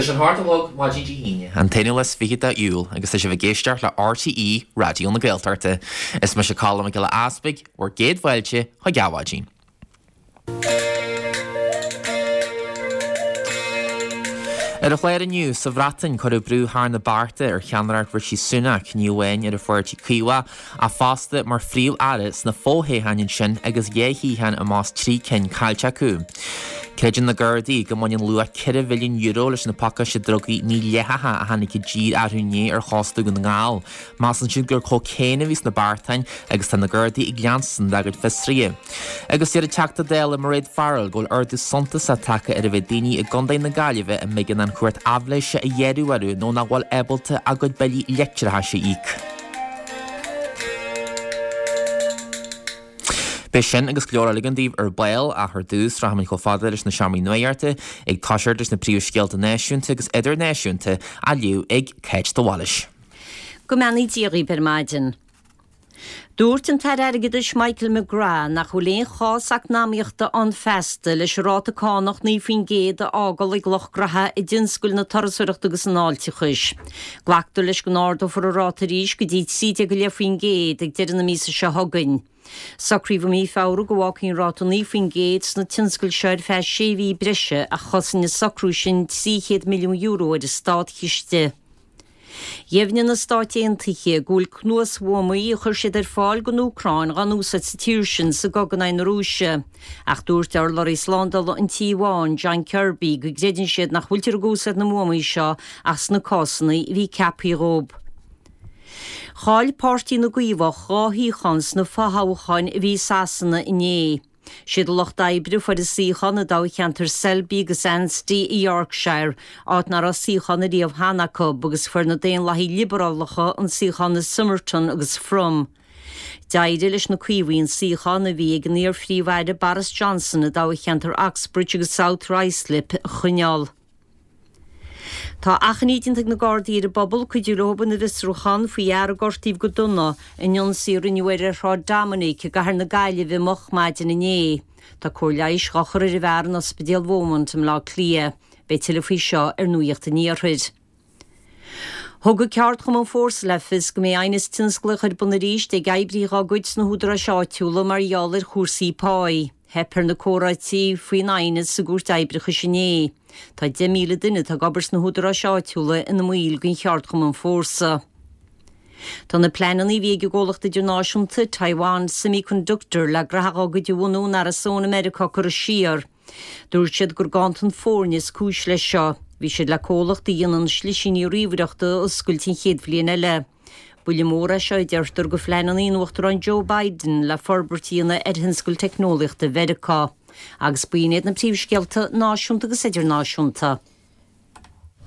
Tá sé an hocht a chlog maidin Dé hAoine, an t-21ú de Iúil, agus tá sibh ag éisteacht le RTÉ Raidió na Gaeltachta. Is mise Colm Mac Giolla Easpaig, bhur gcéad fáilte chuig Adhmhaidin. Ar an chlár inniu, sa Bhreatain, cuireadh brú thar na bearta ar cheannaireacht Rishi Sunak, ní amháin ar an pháirtí Caomhach, ach fosta mar phríomh-aire sna fothoghcháin ansin agus 2 shuíochán i measc 3 cinn caillte acu. Creideann na Gardaí go mbaineann luach €4 mhilliún leis na pacáiste drugaí mídhleathacha a tháinig i dtír arú inné ar chósta Dhún na nGall. Measann siad gur cócaon a bhí sna beartáin agus tá na Gardaí ag leanstan dá gcuid fiosruithe. Agus deir an Teachta Dála Mairéad Farrell go bhfuil ardú suntasach tagtha ar an mhéid daoine i gContae na Gaillimhe a mb'éigean an chúirt aibhléise a ghearradh orthu nó nach bhfuil ábalta a gcuid billí leictreachais a íoc. Beidh sin agus go leor eile againn daoibh ar ball ach ar dtús rachaimid chomh fada leis na seomraí nuachta ag toiseacht leis na príomhscéalta náisiúnta agus idirnáisiúnta á léamh ag Cáit de Bhailís. Go mbeannaí Dia dhaoibh ar maidin. Dúirt an tAire Airgeadais Michael McGrath nach bhfuil aon chás eacnamaíochta ann feasta leis an ráta cánach 9% a fhágáil ag lucht graithe i dtionscail na turasóireachta agus an fháilteachais. Glactar leis go n-ardófar an ráta arís go dtí 13.5% ag deireadh na míosa seo chugainn. Socraíodh i mí Feabhra go bhfágfaí an ráta 9% sna tionscail seo ar feadh sé mhí breise ach chosain an socrú sin €300 milliún ar an státchiste. Dheimhnigh na Stáit Aontaithe go bhfuil cnuasbhuamaí a chuir siad ar fáil don Úcráin dhá n-úsáid sa tír sin sa gcogadh in aghaidh na Rúise. Ach dúirt urlabhraí slándála an Tí Bháin, John Kirby, go gcreideann siad nach bhfuiltear ag úsáid na mbuamaí seo ach sna cásanna a bhí ceaptha dhóibh. Chaill Páirtí na gCaomhach 2 shuíochán sna fothoghcháin a bhí i Sasana inné. Siad an Lucht Oibre a fuair an suíochán i dtoghcheantar Selby agus Ainsty i Yorkshire, áit nach raibh suíochán ariamh cheana acu, agus fuair na Daonlathaigh Liobarálacha an suíochán i Somerton agus Frome. D'éirigh leis na Caomhaigh an suíochán a bhí ag an iar-Phríomh-Aire Boris Johnson i dtoghcheantar Uxbridge agus South Ruislip a choinneáil. Tá achainí déanta ag na Gardaí ar an bpobal cuidiú leo ina bhfiosrúchán faoi fhear a gortaíodh go dona in ionsaí a rinneadh air ar Shráid Dominic i gcathair na Gaillimhe moch maidin inné. Tá cóir leighis dhá chur ar an bhfear in Ospidéal Beaumont i mBleá Cliath. Beidh tuilleadh faoi seo ar Nuacht an Iarthair. Thug an ceardchumann Fórsa le fios go mbeidh aighneas tionsclaíoch ar bun arís ag oibrithe dá gcuid sna húdaráis áitiúla mar gheall ar chúrsaí páí. Theip ar na comhráití faoin aighneas sa gCúirt Oibreachais inné. Tá 10,000 duine atá ag obair sna húdaráis áitiúla ina mbaill den cheardchumann Fórsa. Tá na pleananna a bhí ag an gcomhlacht idirnáisiúnta Taiwan Semiconductor le graithe dá gcuid a bhunú in Arizona Meiriceá curtha siar. Dúirt siad gur ganntan foirne is cúis leis seo. Bhí siad le comhlacht a dhéanann slisíní ríomhaireachta a oscailt an chéad bhliain eile. Buille mór é seo, a deirtear, do phleananna an Uachtaráin Joe Biden le forbairt a dhéanamh ar thionscal teicneolaíochta Mheiriceá. Agus b'in iad na príomhscéalta náisiúnta agus idirnáisiúnta.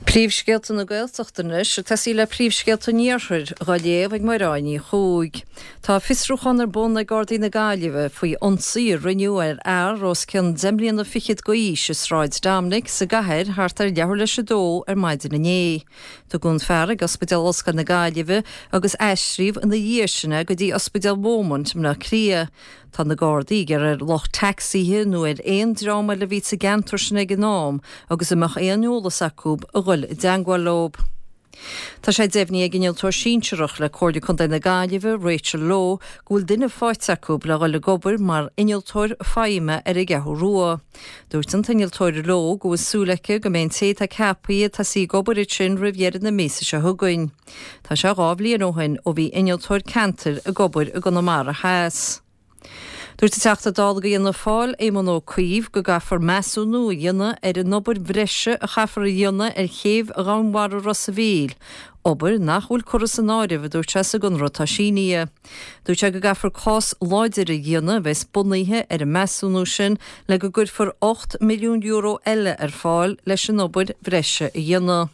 Príomhscéalta na Gaeltachta anois, ag tosaí le príomhscéalta an Iarthair, dhá léamh ag Mairéad Ní Chuaig. Tá fiosrúchán ar bun ag Gardaí na Gaillimhe faoi ionsaí a rinneadh ar fhear os cionn deich mbliana fichead d'aois i Sráid Dominic sa gcathair thart ar leathuair leis a dó ar maidin inné. Tugadh an fear ag Ospidéal Ollscoile na Gaillimhe agus aistríodh ina dhiaidh sin é go dtí Ospidéal Beaumont i mBleá Cliath. Tá na Gardaí ag iarraidh ar lucht tacsaithe nó ar aon dream eile a bhí sa gceantar sin ag an am agus a mbeadh aon eolas acu a dhul i dteangmháil leo. Tá sé deimhnithe ag Innealtóir Sinsearach le Comhairle Contae na Gaillimhe, Rachel Lowe, go bhfuil duine faighte acu le dhul ag obair mar Innealtóir Feidhme ar an gCeathrú Rua. Dúirt an tInnealtóir Lowe go bhfuil súil aici go mbeidh an té atá ceaptha ag tosaí ag obair ansin roimh dheireadh na míosa seo chugainn. Tá sé 2 bhliain ó shin ó bhí innealtóir ceantair ag obair i gConamara Theas. Dúirt an Teachta Dála do Fhianna Fáil, Éamon Ó Cuív, go gcaithfear measúnú a dhéanamh ar an obair bhreise a chaithfear a dhéanamh ar chéibh dhomhainmhara Ros a' Mhíl, obair nach bhfuil curtha san áireamh, a dúirt sé, sa gconradh atá sínithe. Dúirt sé go gcaithfear cás láidir a dhéanamh a bheas bunaithe ar an measúnú sin le go gcuirfear €8 milliún eile ar fáil leis an obair bhreise a dhéanamh.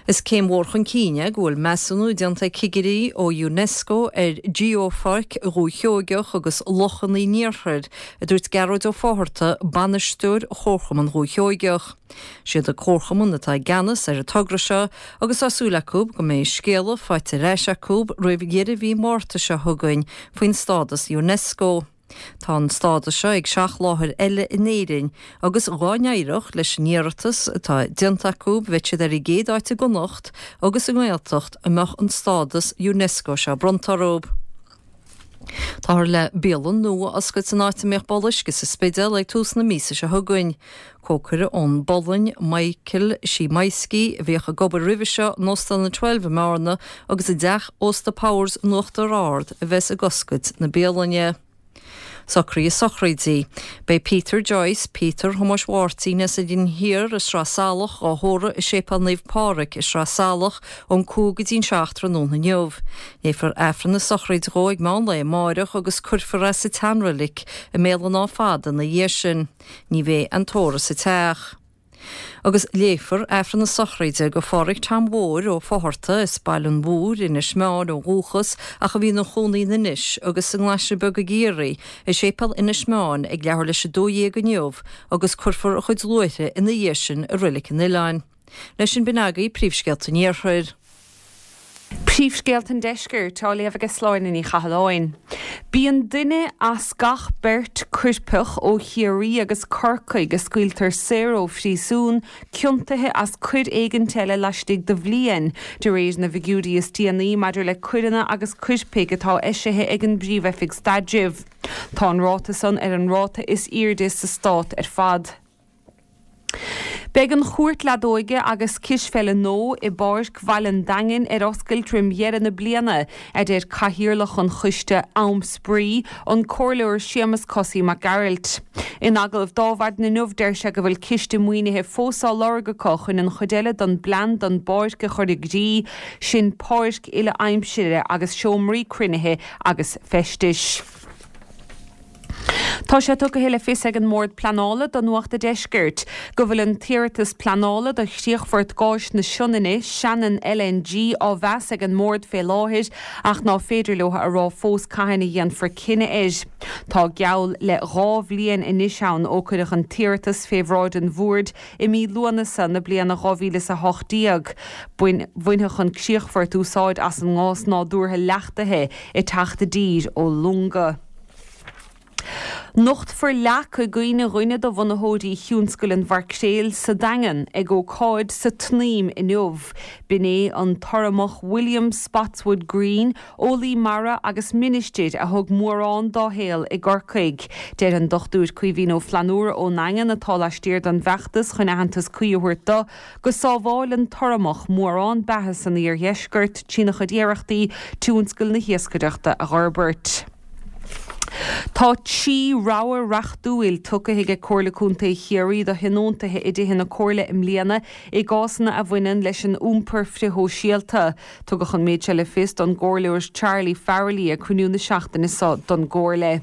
Is céim mhór chun cinn é go bhfuil measúnú déanta ag cigirí ó Unesco ar Gheopháirc Dhúiche Sheoigeach agus Lochanna an Iarthair, a dúirt Gearóid Ó Fátharta, bainisteoir Chomharchumann Dhúiche Sheoigeach. Siad an Comharchumann atá i gceannas ar an togra seo agus tá súil acu go mbeidh scéala faighte ar ais acu roimh dheireadh mhí Márta seo chugainn faoin stádas Unesco. Tá an stádas seo ag seacht láthair eile in Éirinn agus dá n-éireodh leis an iarratas atá déanta acu bheadh siad ar an gcéad áit i gConnacht agus i nGaeltacht a mbeadh an stádas Unesco seo bronnta orthu. Táthar le bialann nua a oscailt san áit a mbíodh balla uisce sa Spidéal ag tús na míosa seo chugainn. Cócaire ón bPolainn, Michael Szymański, a bhíodh ag obair roimhe seo in Óstán an Twelve i mBearna agus i dTeach Ósta Powers in Uachtar Ard a bheas ag oscailt na bialainne. Socruithe sochraide. Beidh Peter Joyce, Peter Thomáis Mháirtín as an Rinn Thiar i Sraith Salach, á thórramh i Séipéal Naomh Pádraig i Sraith Salach ón 5 go dtí'n 7 tráthnóna inniu. Léifear Aifreann na sochraide dhó ag meán lae amáireach agus cuirfear é sa tseanreilig i mBéal an Átha Fada ina dhiaidh sin. Ní bheidh an tórramh sa teach. Agus léifear Aifreann na sochraide do Pháraic Tom Mhóir Ó Fátharta as Baile an Mhúir, Inis Meáin ó dhúchas ach a bhí ina chónaí in Inis agus sa nGlaisre Beag i gCiarraí, i Séipéal Inis Meáin ag leathuair leis 12 inniu agus cuirfear a chuid luaithre ina dhiaidh sin i Reilig an Oileáin. Leis sin b'in agaibh príomhscéalta an Iarthair. Príomhscéalta an Deiscirt á léamh ag Sláine Ní Chathalláin. Bíonn duine as gach beirt coirpeach ó Chiarraí agus Corcaigh a scaoiltear saor ó phríosún ciontaithe as coir éigint eile laistigh de bhliain, de réir na bhfigiúirí is déanaí maidir le coireanna agus coirpigh atá eisithe ag an bPríomh-Oifig Staidrimh. Tá an ráta san ar an ráta is airde sa stát ar fad. Beidh an Chúirt Leadóige agus Cispheile nua i bPáirc Bhaile an Daingin ar oscailt roim dheireadh na bliana, a deir Cathaoirleach an Choiste Am Spraoi, an Comhairleoir Séamus Cosaí Mac Gearailt. In agallamh dó maidin inniu deir sé go bhfuil ciste maoinithe fós á lorg acu chun an chuid eile don bplean don bpáirc a chur i gcrích, sin páirc uile-aimsire agus seomraí cruinnithe agus feistis. Tá sé tugtha le fios ag an mBord Pleanála do Nuacht a' Deiscirt go bhfuil an t-iarratas pleanála do chríochfort gáis na Sionainne, Shannon LNG, á mheas ag an mBord fé láthair ach ná féidir leo a rá fós cathain a dhéanfar cinneadh air. Tá geall le 2 bhliain anois ann ó cuireadh an t-iarratas fé bhráid an Bhoird i mí Lúnasa na bliana 2018. Bainfeadh an críochfort úsáid as an ngás nádúrtha leachtaithe ag teacht i dtír ó longa. Nochtfar leac i gcuimhne dhuine de bhunaitheoirí thionscal an mhaircréil sa Daingean ag ócáid sa tSnaidhm inniu. B'in é an tUrramach William Spotswood Green, eolaí mara agus ministir a thug mórán dá shaol i gCorcaigh. Deir an Dr Caoimhín Ó Flannúra ón nDaingean, atá laistiar den bhfeachtas chun aitheantas cuí a thabhairt do, go sábháil an tUrramach mórán beatha san iardheisceart trína chuid iarrachtaí tionscal na hiascaireachta a dh'fhorbairt. Tá 3 rogha reachtúil tugtha aige Comhairle Contae Chiarraí do thionóntaithe i dtithe na Comhairle i mbliana i gcásanna a bhaineann leis an iompar frithshóisialta. Tugadh an méid seo le fios don gComhairleoir Charlie Farrelly ag cruinniú na seachtaine seo don gComhairle.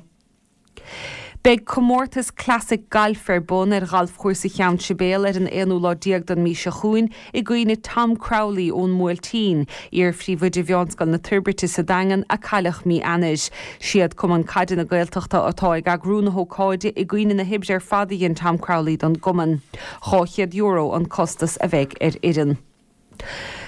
Beidh comórtas Classic Gailf ar bun ar Ghalfchúrsa Cheann Sibéal ar an aonú lá déag den mhí seo chugainn i gcuimhne Tom Crowley ón mBuailtín, iar-phríomhoide Mheánscoil na Toirbhirte sa Daingean a cailleadh mí Eanáir. Siad Cumann Caide na Gaeltachta atá ag eagrú na hócáide i gcuimhne na hoibre ar fad a dhein Tom Crowley don gcumann. €200 an costas a bheidh ar fhoireann.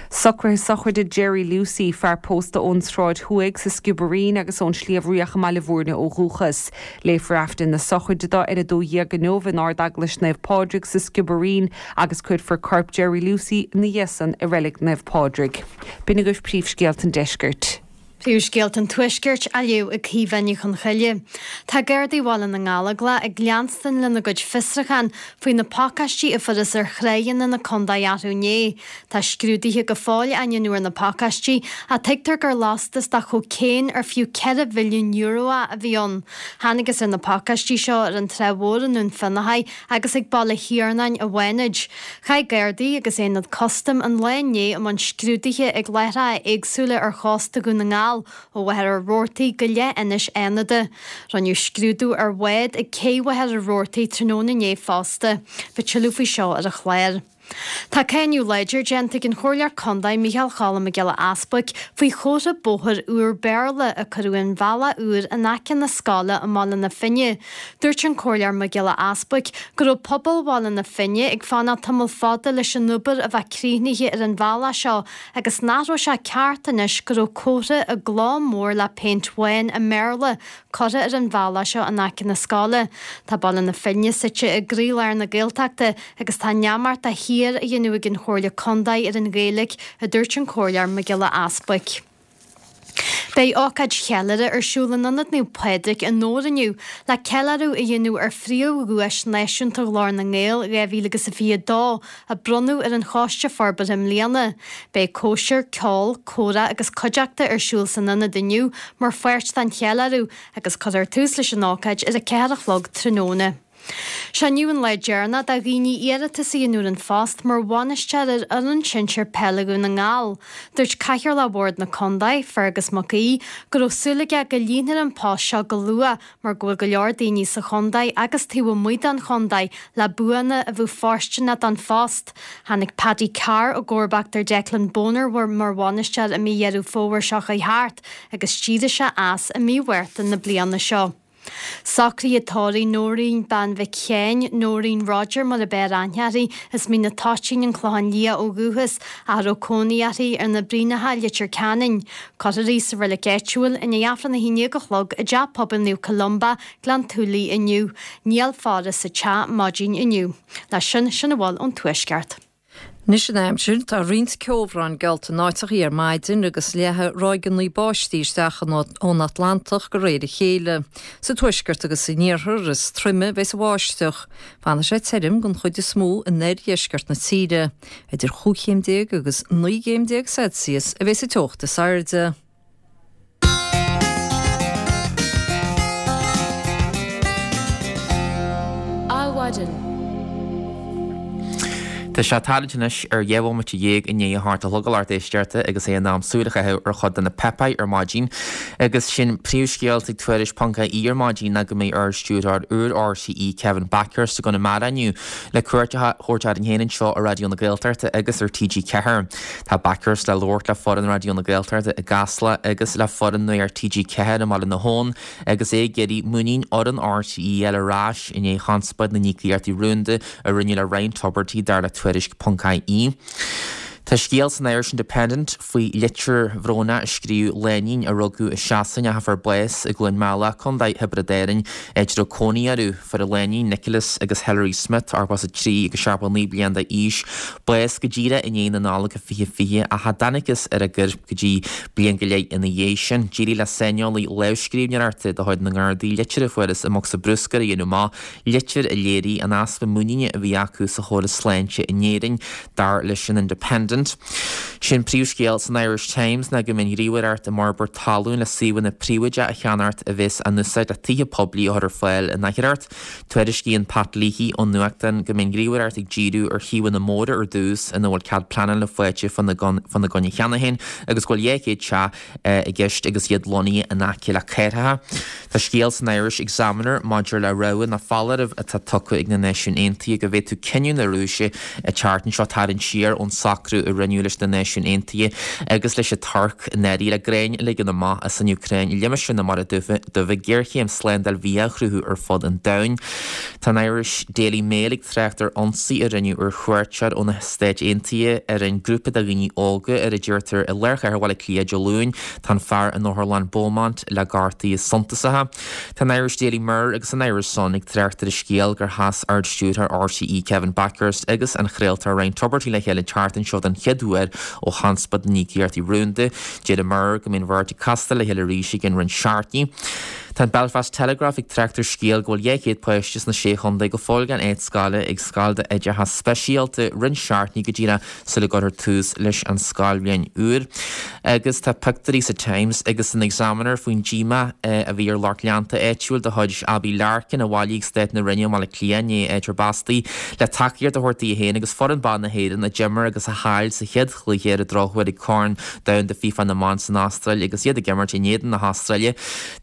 Socruithe sochraide Jerry Lucey, fear pósta ón Sráid Thuaidh sa Sciobairín agus ón Sliabh Riach i mBaile Bhúirne ó dhúchas. Léifear Aifreann na sochraide dó ar 12 inniu in Ard-Eaglais Naomh Pádraig sa Sciobairín agus cuirfear corp Jerry Lucey ina dhiaidh san i Reilig Naomh Pádraig. B'in agaibh príomhscéalta an deiscirt. Príomhscéalta an Tuaiscirt á léamh ag Caoimhe Ní Chonchoille. Tá Gardaí Bhaile na nGallóglach ag leanstan lena gcuid fiosrúchán faoi na pacáistí a fuarthas ar thráigheanna na condae arú inné. Tá scrúduithe go fóill á ndéanamh ar na pacáistí, ach tuigtear gur lastas de chócaon ar fiú €4 mhilliún é a bhí ann. Thángthas ar na pacáistí seo ar an Trá Mhór i nDún Fionnachaidh agus ag Baile Thiarnáin i bhFánaid. Chuaigh Gardaí agus Aonad Custaim an lá inné i mbun scrúduithe ag láithreacha éagsúla ar chósta Dhún na nGall, ó Mhachaire Rabhartaigh go leithinis Fhánada. Rinneadh scrúdú ar bhád ag cé Mhachaire Rabhartaigh tráthnóna inné fosta. Beidh tuilleadh faoi seo ar an chlár. Tá cáineadh láidir déanta ag an Chomhairleoir Contae Micheál Choilm Mac Giolla Easbuic faoi chomhartha bóthair úr Béarla a cuireadh ar an bhealach úr in aice na scoile i mBaile na Finne. Dúirt an Comhairleoir Mac Giolla Easbuic go raibh pobal Bhaile na Finne ag fanacht tamall fada leis an obair a bheith críochnaithe ar an bhealach seo agus nach raibh sé ceart anois go raibh comhartha i gcló mór le péint bhán i mBéarla curtha ar an bhealach seo in aice na scoile. Tá Baile na Finne suite i gcroílár na Gaeltachta agus tá neamart de shíor á dhéanamh ag an Chomhairle Contae ar an Ghaeilge, a dúirt an Comhairleoir Mac Giolla Easbuic. Beidh ócáid cheiliúrtha ar siúl in Ionad Naomh Pádraig i nDobhar inniu le ceiliúradh a dhéanamh ar phríomh-dhuais náisiúnta Ghlór na nGael 2022 a bronnadh ar an Choiste Forbartha i mbliana. Beidh cóisir, ceol, comhrá agus cuideachta ar siúl san ionad inniu mar pháirt den cheiliúradh agus cuirfear tús leis an ócáid ar a 4 a chlog tráthnóna. Sé inniu an lá deireanach do dhaoine iarratas a dhéanamh ar an phost mar bhainisteoir ar fhoireann sinsir peile Dhún na nGall. Dúirt Cathaoirleach Bhord na Condae, Fergus Mac Aoidh, go raibh súil aige go líonfar an post seo go luath mar go bhfuil go leor daoine sa chondae agus taobh amuigh den chondae le buanna a bheadh fóirsteanach don phost. Tháinig Paddy Carr i gcomharbacht ar Declan Bonner mar bhainisteoir i mí Dheireadh Fómhair seo chuaigh thart agus d'éirigh sé as i mí Mhárta na bliana seo. Socruithe tórraimh Nóirín Bean Mhic Sheáin, Nóirín Roger mar ab fhearr aithne uirthi, as Mín an Toitín, An Clochán Liath ó dhúchas, ach a raibh cónaí uirthi ar na Bruíneacha, Leitir Ceanainn. Cuirfear í sa reilig áitiúil i ndiaidh Aifreann 11 a chlog i dTeach Pobail Naomh Columba, Gleann tSúilí inniu. Níl faire sa teach maidin inniu. Leis sin, sin a bhfuil ón Tuaisceart. Anois an aimsir, tá roinnt ceobhráin geallta in áiteachaí ar maidin agus leathfaidh ráigeanna báistí isteach ón Atlantach de réir a chéile. Sa tuaisceart agus san iarthar is troime a bheas an bháisteach. Fanfaidh sé tirim den chuid is mó in oirdheisceart na tíre. Idir chúig chéim déag agus 19 gcéim Celsius a bheas an teocht is airde. Adhmhaidin. Tá sé tarraingt anois ar 12 bhomaite i ndiaidh a hocht a chlog a lucht éisteachta agus é in am súil a chaitheamh ar chuid de na páipéir ar maidin. Agus sé'n príomhscéal ag Tuairisc ponc ie ar maidin ná go mbeidh Ard-Stiúrthóir úr RTÉ Kevin Bakhurst i gConamara inniu le cuairt a thabhairt orainn féin anseo ar Raidió na Gaeltachta agus ar TG4. Tá Bakhurst le labhairt le foireann Raidió na Gaeltachta i gCasla agus le foireann Nuacht TG4 i mBaile na hAbhann agus é ag iarraidh muinín fhoireann RTÉ a fháil ar ais i ndiaidh chonspóid na n-íocaíochtaí rúnda a rinneadh le Ryan Tubridy dar le Tuairisc ponc ie. Tá scéal san Irish Independent faoi litir bhrónach a scríobh lánúin a rugadh i Sasain ach a fuair bás i gCluain Meala, Contae Thiobraid Árann, áit a raibh cónaí orthu. Fuair an lánúin Nicholas agus Hilary Smith, 83 agus 79 bliain d'aois, bás go díreach i ndiaidh na Nollag 2020 ach cha dtángthas ar a gcoirp go dtí bliain go leith ina dhiaidh sin. D'éirigh le saineolaí lámhscríbhneoireachta de chuid na nGardaí litir a fuarthas i mbocsa bruscair a dhéanamh amach, litir a léirigh an easpa muiníne a bhí acu sa chóras sláinte in Éirinn, dar leis an Independent. Sé an príomhscéal san Irish Times ná go mbeidh an Ghníomhaireacht um Fhorbairt Talún le suíomhanna príobháideacha a cheannacht a bheas á n-úsáid le tithe poiblí a chur ar fáil in Oidhreacht. Tuairiscíonn Pat Leahy ón nuachtán go mbeidh an Ghníomhaireacht ag díriú ar shuíomhanna móra ar dtús ina bhfuil cead pleanála faighte fána gcoinne cheana féin agus go bhfuil 200 teach i gceist agus iad lonnaithe in aice le cathracha. Tá scéal san Irish Examiner maidir le rabhadh nó foláireamh atá tugtha ag na Náisiúin Aontaithe go bhféadfadh cinneadh na Rúise an tseachtain seo tarraingt siar ón socrú a rinneadh leis na Náisiúin Aontaithe agus leis an Tuirc i ndáiríre le gráin a ligean amach as an Úcráin i limistéar na Mara Duibhe géarchéim slándáil bhia a chruthú ar fud an domhain. Tá an Irish Daily Mail ag trácht ar ionsaí a rinneadh ar chuairteoir ó na Stáit Aontaithe ar an grúpa de dhaoine óga ar a deirtear i lár chathair Bhaile Átha Cliath Dé Luain. Tá an fear in Otharlann Beaumont le gortuithe suntasacha. Tá an Irish Daily Mirror agus an Irish Sun ag trácht ar an scéal gur chas Ard-Stiúrthóir RTÉ Kevin Bakhurst agus an chraoltóir Ryan Tubridy le chéile an tseachtain seo den chéad uair ó chonspóid na n-íocaíochtaí rúnda. Deir an Mirror go mbeidh an bheirt ag castáil le chéile arís i gcionn roinnt seachtainí. Tá an Belfast Telegraph ag trácht ar scéal go bhfuil 200 páiste sna Sé Chontae go fóill gan áit scoile ag scoil d'oideachas speisialta roinnt seachtainí go díreach sula gcuirfear tús leis an scoilbhliain úr. Agus tá pictiúirí sa Times agus san Examiner faoin díomá a bhí ar lucht leanta áitiúil de chuid Abbie Larkin a bhailigh ag Stát na Rinne i mBaile Átha Cliath i ndiaidh áit ar b'astaí le tacaíocht a thabhairt di féin agus foireann ban na hÉireann a d'imir agus a chaill sa chéad chluiche. cluiche ar an drochuair ag Corn Domhanda FIFA na mBan san Astráil agus iad ag imirt in éadan na hAstráile.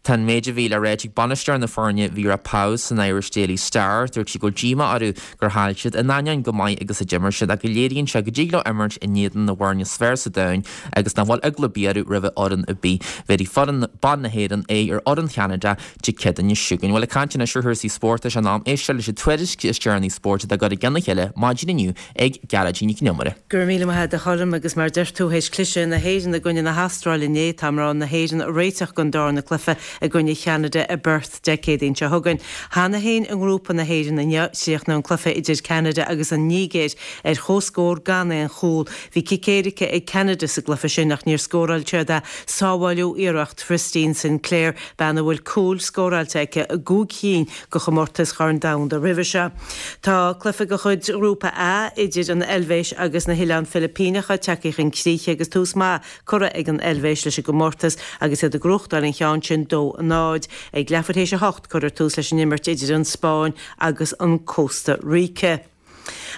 Tá an méid a bhí le ráit ag bainisteoir na foirne, Vera Pauw, san Irish Daily Star. Dúirt sí go bhfuil díomá orthu gur chaill siad, in ainneoin go maith agus a d'imir siad, ach go léiríonn sé go dtig leo imirt in éadan na bhfoirne is fearr sa domhan agus nach bhfuil eagla ar bith orthu roimh fhoireann ar bith. Bhéarfaidh foireann ban na hÉireann aghaidh ar fhoireann Cheanada Dé Céadaoine seo chugainn. Bhuel, ag caint anois ar chúrsaí spóirt, tá sé in am éisteacht leis an tuairisc is deireanaí spóirt atá curtha i gcionn a chéile maidin inniu ag Gearóidín Nic Con Iomaire. Go raibh míle maith agat a Choilm agus mar a deir tú théis cliseadh na hÉireann i gcoinne na hAstráile inné, tá mná na hÉireann réiteach don darna cluiche i gcoinne Cheanada i bPerth Dé Céadaoin seo chugainn. Cheana féin i ngrúpa na hÉireann inniu, chríochnaigh an cluiche idir Ceanada agus an Nigéir ar chomhscór gan aon chúl. Bhí cic éirice ag Ceanada sa gcluiche sin ach níor scóráil siad é. Sábháileadh iarracht Christine Sinclair, bean a bhfuil cúil scóráilte aici i gcúig chinn de chomórtais Chorn Domhanda roimhe seo. Tá cluiche de chuid Ghrúpa A idir an Eilvéis agus na hOileáin Philipíneacha tagtha chun críche agus tús maith curtha ag an Eilvéis leis an gcomórtas agus iad ag gnóthachtáil an cheann sin 2, 0. Ag leathuair théis a hocht cuirfear tús leis an imirt idir an Spáinn agus an Cósta Ríce.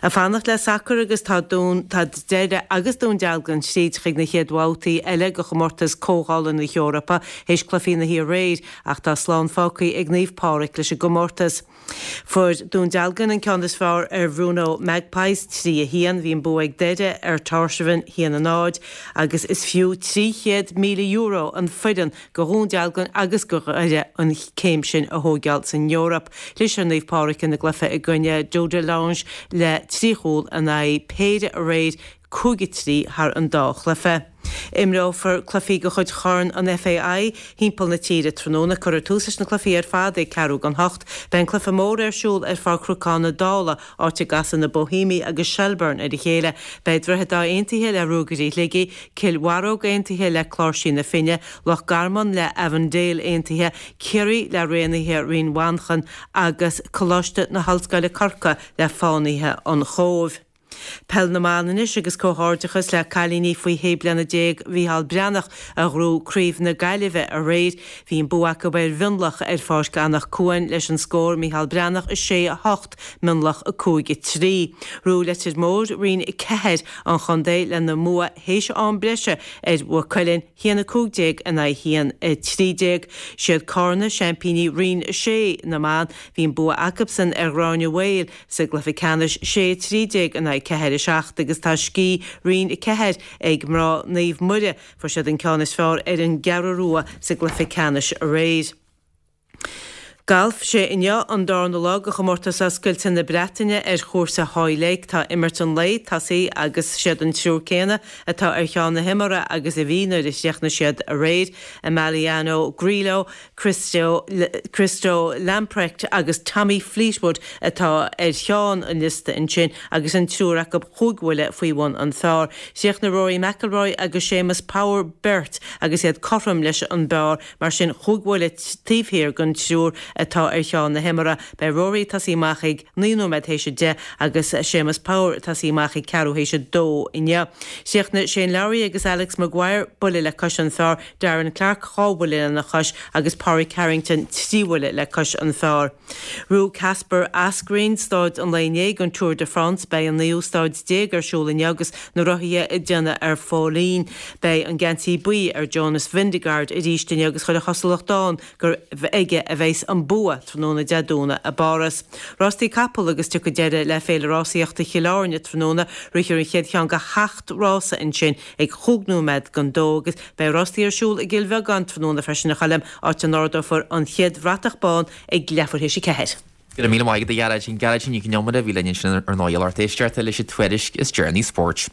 Ag fanacht le sacar agus tá Dún, tá Doire agus Dún Dealgan tríd chuig na chéad bhabhtaí eile de chomórtas Comhdhála na hEorpa théis cluichí na hoíche aréir ach tá slán fágtha ag Naomh Pádraig leis an gcomórtas. Fuair Dún Dealgan an ceann is fearr ar Bhrno Magpies, 3, 1. Bhí an bua ag Doire ar Tórshavn, 1, 0, agus is fiú €300,000 an foireann go Dhún Dealgan agus go Dhoire an céim sin a thóigeáil san Eoraip. Chlis ar Naomh Pádraig ina gcluiche i gcoinne Dudelange le 3 chúl in aghaidh péire aréir, 5 3 thar an dá chluiche. Imreofar cluichí de chuid Chorn an FAI thimpeall na tíre tráthnóna. Cuirfear tús leis na cluichí ar fad ag ceathrú don hocht. Beidh an cluiche mór ar siúl ar Pháirc Chnocán na Dála, áit a gcasfaidh na Boihéamaigh agus Shelbourne ar a chéile. Beidh Droichead Átha Aontaithe le Ruagairí Shligigh, Cill Bharróg Aontaithe le Cláirsí na Finne, Loch Garman le Avondale Aontaithe, Ciarraí le Raonaithe Rinn Mhanchain agus Coláiste na hOllscoile Corcaigh le Fánaithe an Chóibh. Peil na mBan anois agus comhghairdeachas le cailíní faoi shé bliana Mhícheál Breathnach a ghnóthaigh Craobh na Gaillimhe aréir. Bhí an bua acu ar Mhionlach ar Pháirc Anach Cuain leis an scór Mícheál Breathnach 6, 8, Mionlach 5, 3. Ghnóthaigh Leitir Móir Roinn 4 an chontae lena mbua théis am breise ar Mhaigh Cuilinn, 1, 15 in aghaidh 1, 13. Siad Cárna seaimpíní Roinn 6 na mban. Bhí an bua acubsan ar Ghráinne Mhaol sa gcluiche ceannais, 6, 13 in aghaidh 4, 7 agus tá scíth Roinn 4 ag mná Naomh Muire. Fuair siad an ceann is fearr ar an gCeathrú Rua sa gcluiche ceannais aréir. Galf, Sé inniu an darna lá de chomórtas oscailte na Breataine ar chúrsa Hoylake. Tá imirt an lae tosaithe agus siad an triúr céanna atá ar cheann na himeartha agus a bhí nuair a chríochnaigh siad aréir, Emiliano Grillo, Christo Christo Lamprecht agus Tommy Fleetwood atá ar cheann an liosta ansin agus an triúr acu chúig bhuille faoi bhun an phar. Chríochnaigh Rory McIlroy agus Séamus Power beirt agus iad cothrom leis an bpar. Mar sin, chúig bhuille taobh thiar den triúr atá ar cheann na himeartha. Beidh Rory ag tosaí amach ag 9 nóiméad théis 10 agus Séamus Power ag tosaí amach ag ceathrú théis 2 inniu. Chríochnaigh Shane Lowry agus Alex Maguire buille le cois an phar, Darren Clarke 2 bhuille lena chois agus Pádraig Harrington 3 bhuille le cois an phar. Ghnóthaigh Kasper Asgreen staid an lae inné den Tour de France. Beidh an naoú staid déag ar siúl inniu agus na rothaithe ag déanamh ar foluain. Beidh an geansaí buí ar Jonas Vingegaard arís inniu agus chuile chosúlacht ann gur aige a bheas an bua tráthnóna Dé Domhnaigh i bPáras. Rástaí capall agus tiocfaidh deireadh le Féile Rásaíochta Chill Airne tráthnóna. Rithfear an chéad cheann de sheacht rása ansin ag chúig nóiméad don dó agus beidh rástaí ar siúl i gCill Bheagáin tráthnóna freisin a Choilm, áit a n-ardófar an chéad bhratach bán ag leathuair théis a ceathair. Go raibh míle maith agat a Ghearóidín. Gearóidín Nic Con Iomaire a bhí linn ansin ar ndóigh a lucht éisteachta leis an tuairisc is deireanaí spóirt.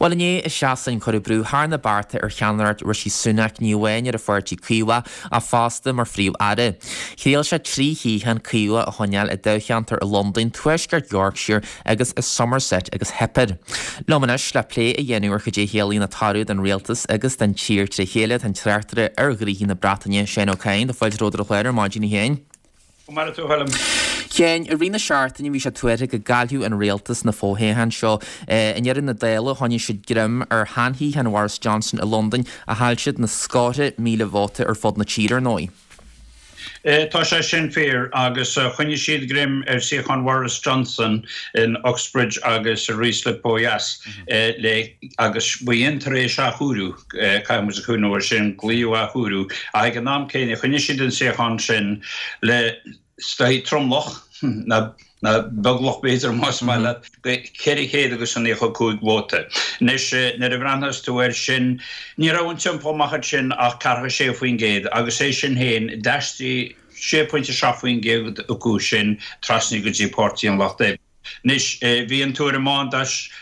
Bhuel inné i Sasain cuireadh brú thar na bearta ar cheannaireacht Rishi Sunak ní amháin ar an pháirtí Caomhach ach fosta mar phríomh-aire. Thriail sé 3 shuíochán Caomhach a choinneáil i dtoghcheantar i Londain, Tuaisceart Yorkshire agus i Somerset agus theip air. Liom anois le plé a dhéanamh ar cad é a chiallaíonn an toradh don rialtas agus don tír tré chéile tá an tráchtaire ar ghnoithí na Breataine, Seán Ó Cadhain. Tá fáilte romhat ar an chlár ar maidin a Sheáin. Go maire tú a Choilm. Sheáin, i rith na seachtaine bhí sé tuartha go gcaillfeadh an rialtas na fothoghcháin seo. I ndeireadh na dála choinnigh siad greim ar sheanshuíochán Bhoris Johnson i Londain ach chaill siad na scórtha míle vóta ar fud na tíre ar ndóigh. Tá sé sin fíor agus choinnigh siad greim ar suíochán Bhoris Johnson in Uxbridge agus i Ruislip ó dheas le agus b'in tar éis athchóiriú, caithfidh muid a chuimhneamh air sin, glaodh athchóiriú ach ag an am céanna choinnigh siad an suíochán sin le is dóichí tromlach, nó beaglach b'fhéidir más maith leat, go 400 agus 95 vóta. Anois nuair a bhreathnaíos tú air sin, ní raibh an t-iompú amach ansin ach 46% agus é sin féin, d'aistrigh 6.7% acu sin trasna go dtí Páirtí an Lucht Oibre. Anois bhí an tuairim ann dá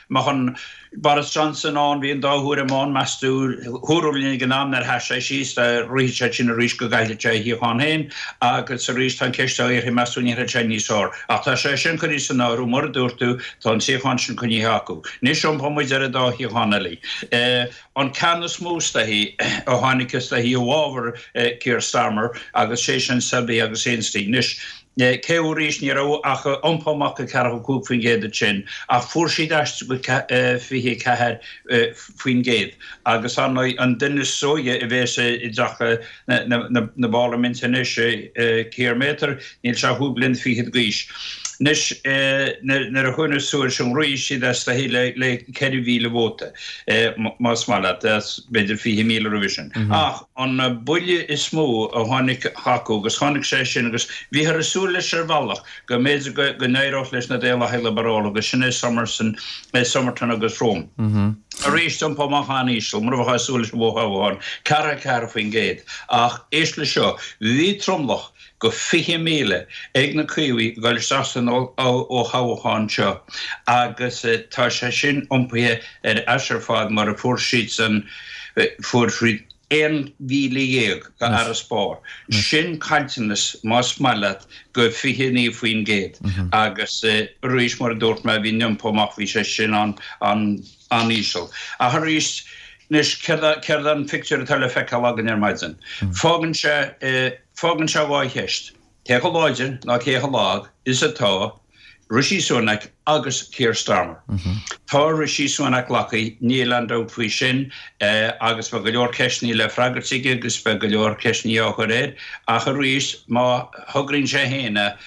mbeadh an Boris Johnson ann, bhí an dá thuairim ann, meas tú, dúradh linn ag an am nuair a sheas sé síos, dá rithfeadh sé sin arís go gcaillfeadh sé a shuíochán féin agus arís tá an cheist á iarraidh meas tú an ndéanfaidh sé níos fearr. Ach tá sé sin curtha san áireamh, mar a dúirt tú, tá an suíochán sin coinnithe acu. Anois iompóidh muid ar an dá shuíochán eile. An ceann is mó is dóichí a tháinig is dóichí i bhfabhar Keir Starmer agus sé sin Selby agus Ainsty. Anois, Cé arís ní raibh ach iompú amach go 45% ansin ach fuair siad aistriú go 24% agus ar ndóigh an duine is óige a bhéas i dTeach na bParlaiminte anois, Keir Mather, níl sé ach chúig bliana fichead d'aois. Anois nuair a chuimhneos tú air sin rith siad as dóichí le 4,000 vóta más maith leat, b'fhéidir 20,000 roimhe sin. Ach an buille is mó a tháinig acu, agus tháinig sé sin agus bhíothar ag súil leis ar bhealach, go mb'fhéidir go n-éireodh leis na Daonlathaigh Liobarálacha, agus sin é Summerson, Somerton agus Frome. Arís, iompú amach an-íseal, mar a bheifeá ag súil leis i bhfothoghchán, 44%. Ach éist leis seo, bhí tromlach go 20,000 ag na Caomhaigh ag dul isteach san fhothoghchán seo agus tá sé sin iompaithe ar ais ar fad mar a fuair siadsan, fuair siad 11,000 go fharasbarr. Sin caillteanas, más maith leat, go 29% agus arís mar a dúirt mé bhí an iompú amach, bhí sé sin an-íseal. Ach arís, anois céard an phictiúr atá le feiceáil againn ar maidin? Fágann sé. Fágann sé dhá cheist, cé chomh láidir ná cé chomh lag is atá Rishi Sunak agus Keir Starmer? Tá Rishi Sunak glactha, níl aon dabht faoi sin, agus beidh go leor ceisteanna le freagairt aige agus beidh go leor ceisteanna á chur air, ach arís, má thograíonn sé féin é,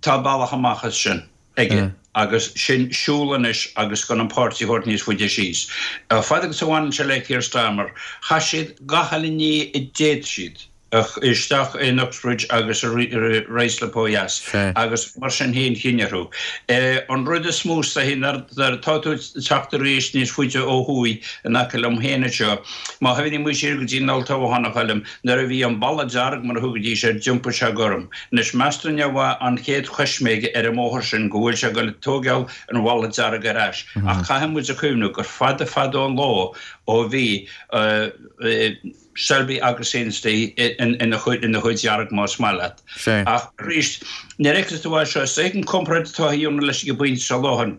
tá bealach amach as sin aige agus sin siúl anois agus gan an páirtí a thabhairt níos faide síos. Fad agus a bhaineann sé le Keir Starmer, chaith siad gach uile ní a d'fhéad siad. isteach in Uxbridge agus i Ruislip ó dheas agus mar sin féin chinn orthu. An rud is mó is dóichí nuair atá tú ag teacht arís níos faide ó thuaidh in aice liom féin anseo, má chuimhníonn muid siar go dtí an olltoghchán a Choilm, nuair a bhí an balla dearg mar a thugaidís air, d'iompaigh sé gorm. Anois meas tú an é an chéad choisméig ar an mbóthar sin go bhfuil sé ag dul ag tóigeáil an bhalla dearg ar ais. Ach caithfidh muid a chuimhniú gur fada fada an lá ó bhí Selby agus Ainsty ina chuid dhearg más maith leat. Ach arís, nuair a fheiceann tú é seo, is dóigh an comparáid atá a dhéanamh leis ag an bpointe seo láthair,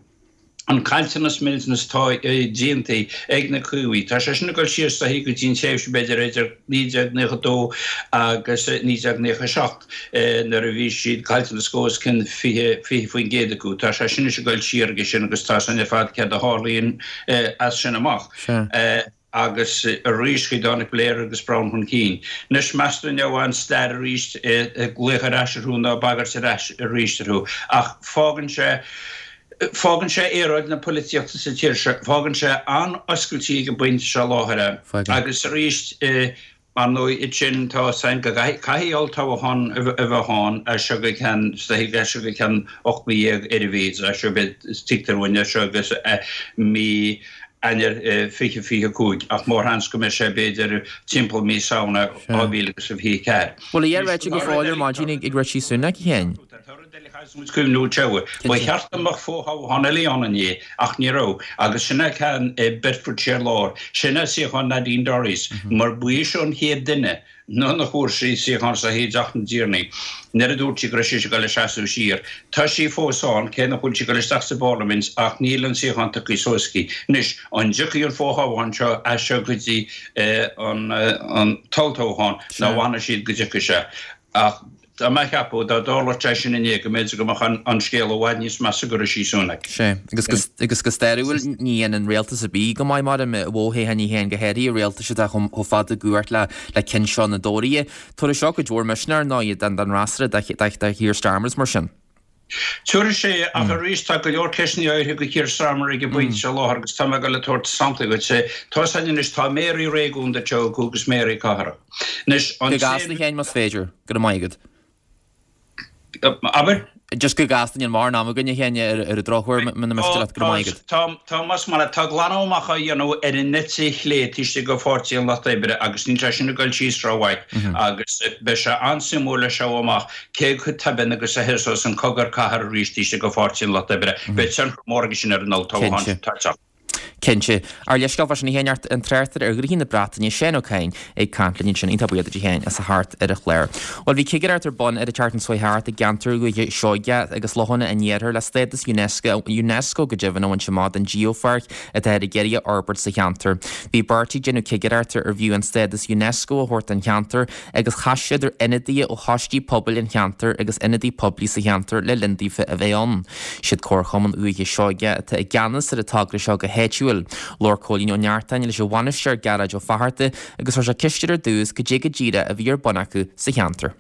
an caillteanas millteanas atá déanta ag na Caomhaigh, tá sé sin ag dul siar is dóichí go dtí an tréimhse b'fhéidir idir 1992 agus 1997 nuair a bhí siad caillteanas os cionn 20% acu. Tá sé sin anois ag dul siar aige sin agus tá sin ar fad céard a tharlaíonn as sin amach. Agus arís tháinig Blair agus Brown chun cinn. Anois, meas tú an é an stair arís ag glaoch ar ais orthu nó ag bagairt ar ais arís orthu. Ach fágann sé, fágann sé aeráid na polaitíochta sa tír seo, fágann sé an-oscailte ag an bpointe seo i láthair é. Agus arís, Ar ndóigh, ansin tá a fhios againn go gcaithfidh olltoghchán a bheith ann as seo go ceann, is dóichí, as seo go ceann 18 mí ar a mhéad, as seo beidh, tuigtear dúinn, as seo agus mí Eanáir 2025, ach mórsheans go mbeidh sé b'fhéidir timpeall mí Samhna 2024. Bhfuil a dhath ráite go fóill ar maidin ag Rishi Sunak, a Sheáin? Tá rud eile a chaithfeas muid cuimhniú Trevor. Ba cheart go mbeadh fothoghchán eile ann inné, ach ní raibh, agus sin é ceann i Bedfordshire Lár. Sin é suíochán Nadine Dorries, mar ba í seo an chéad duine nuair a fuair sí suíochán sa i dTeach na dTiarnaí, nuair a dúirt sí go raibh sise ag dul ag seasamh siar. Tá sí fós ann, cé nach bhfuil sí ag dul isteach sa bParlaimint, ach níl an suíochán tugtha suas aici. Anois, an dtiocfaidh an fothoghchán seo as seo go dtí an t-olltoghchán, nó an bhfanfaidh siad go dtiocfaidh sé? Ach. Tá mé a cheapadh, dá dtarlódh sé sin inné, go mb'fhéidir go mbeadh an scéal i bhfad níos measa do Rishi Sunak. Sea, agus agus go stairiúil, ní dhéanann rialtas ar bith go maith mar i bhfothoghcháin féin, go háirithe rialtais atá chomh fada i gcumhacht le le cinn seo na dTóraithe. Tabharfaidh seo cuid mhór misneach, ar ndóigh, don fhreasúra, do Keir Starmer is mar sin. Tabharfaidh sé, ach arís tá go leor ceisteanna éirithe do Keir Starmer ag an bpointe seo i láthair agus tá mé ag dul ag tabhairt samplaí dhuit. Tá a fhios againn anois, tá méaraí réigiúnda tofa acu agus méaraí cathrach. Anois, an Go gasta, a Sheáin, más féidir. Go raibh maith agat. Abair? Just go gasta, níl mórán ama againn, a Sheáin, ar an drochuair, muna miste leat, go raibh maith agat. Tá, tá, más maith leat, tá glanadh amach á dhéanamh ar an eite chlé taobh istigh de Pháirtí an Lucht Oibre agus níl sé sin ag dul síos rómhaith agus beidh sé an-suimiúil le seo amach cé chomh tobann agus a thosós an cogar cathartha arís taobh istigh de Pháirtí an Lucht Oibre. Beidh tionchar mór aige sin ar an olltoghchán atá ag teacht. Cinnte. Ár leithscéal fá sin a Sheáin, an tráchtaire ar ghnóthaí na Breataine, Seán Ó Cadhain, ag caint linn ansin. Iontach buíoch duit a Sheáin as a theacht ar an chlár. Bhuel bhí cigireacht ar bun ar an tseachtain seo thart i gceantar Dhúiche Seoighe agus Lochanna an Iarthair le stádas Unesco, Unesco go deimhin, a bhaint amach don Geopháirc atá ag iarraidh a fhorbairt sa cheantar. Bhí beirt ag déanamh cigireachta arbh fhiú an stádas Unesco a thabhairt don cheantar agus chas siad ar ionadaithe ó choistí pobail an cheantair agus ionadaí poiblí sa cheantar le linn daofa a bheith ann. Siad Comharchumann Dhúiche Seoighe atá i gceannas ar an togra seo go háitiúil. Labhair Cóilín Ó Neachtain leis an bhainisteoir Gearóid Ó Fatharta agus chuir sé ceist air ar dtús cad é go díreach a bhí ar bun acu sa cheantar.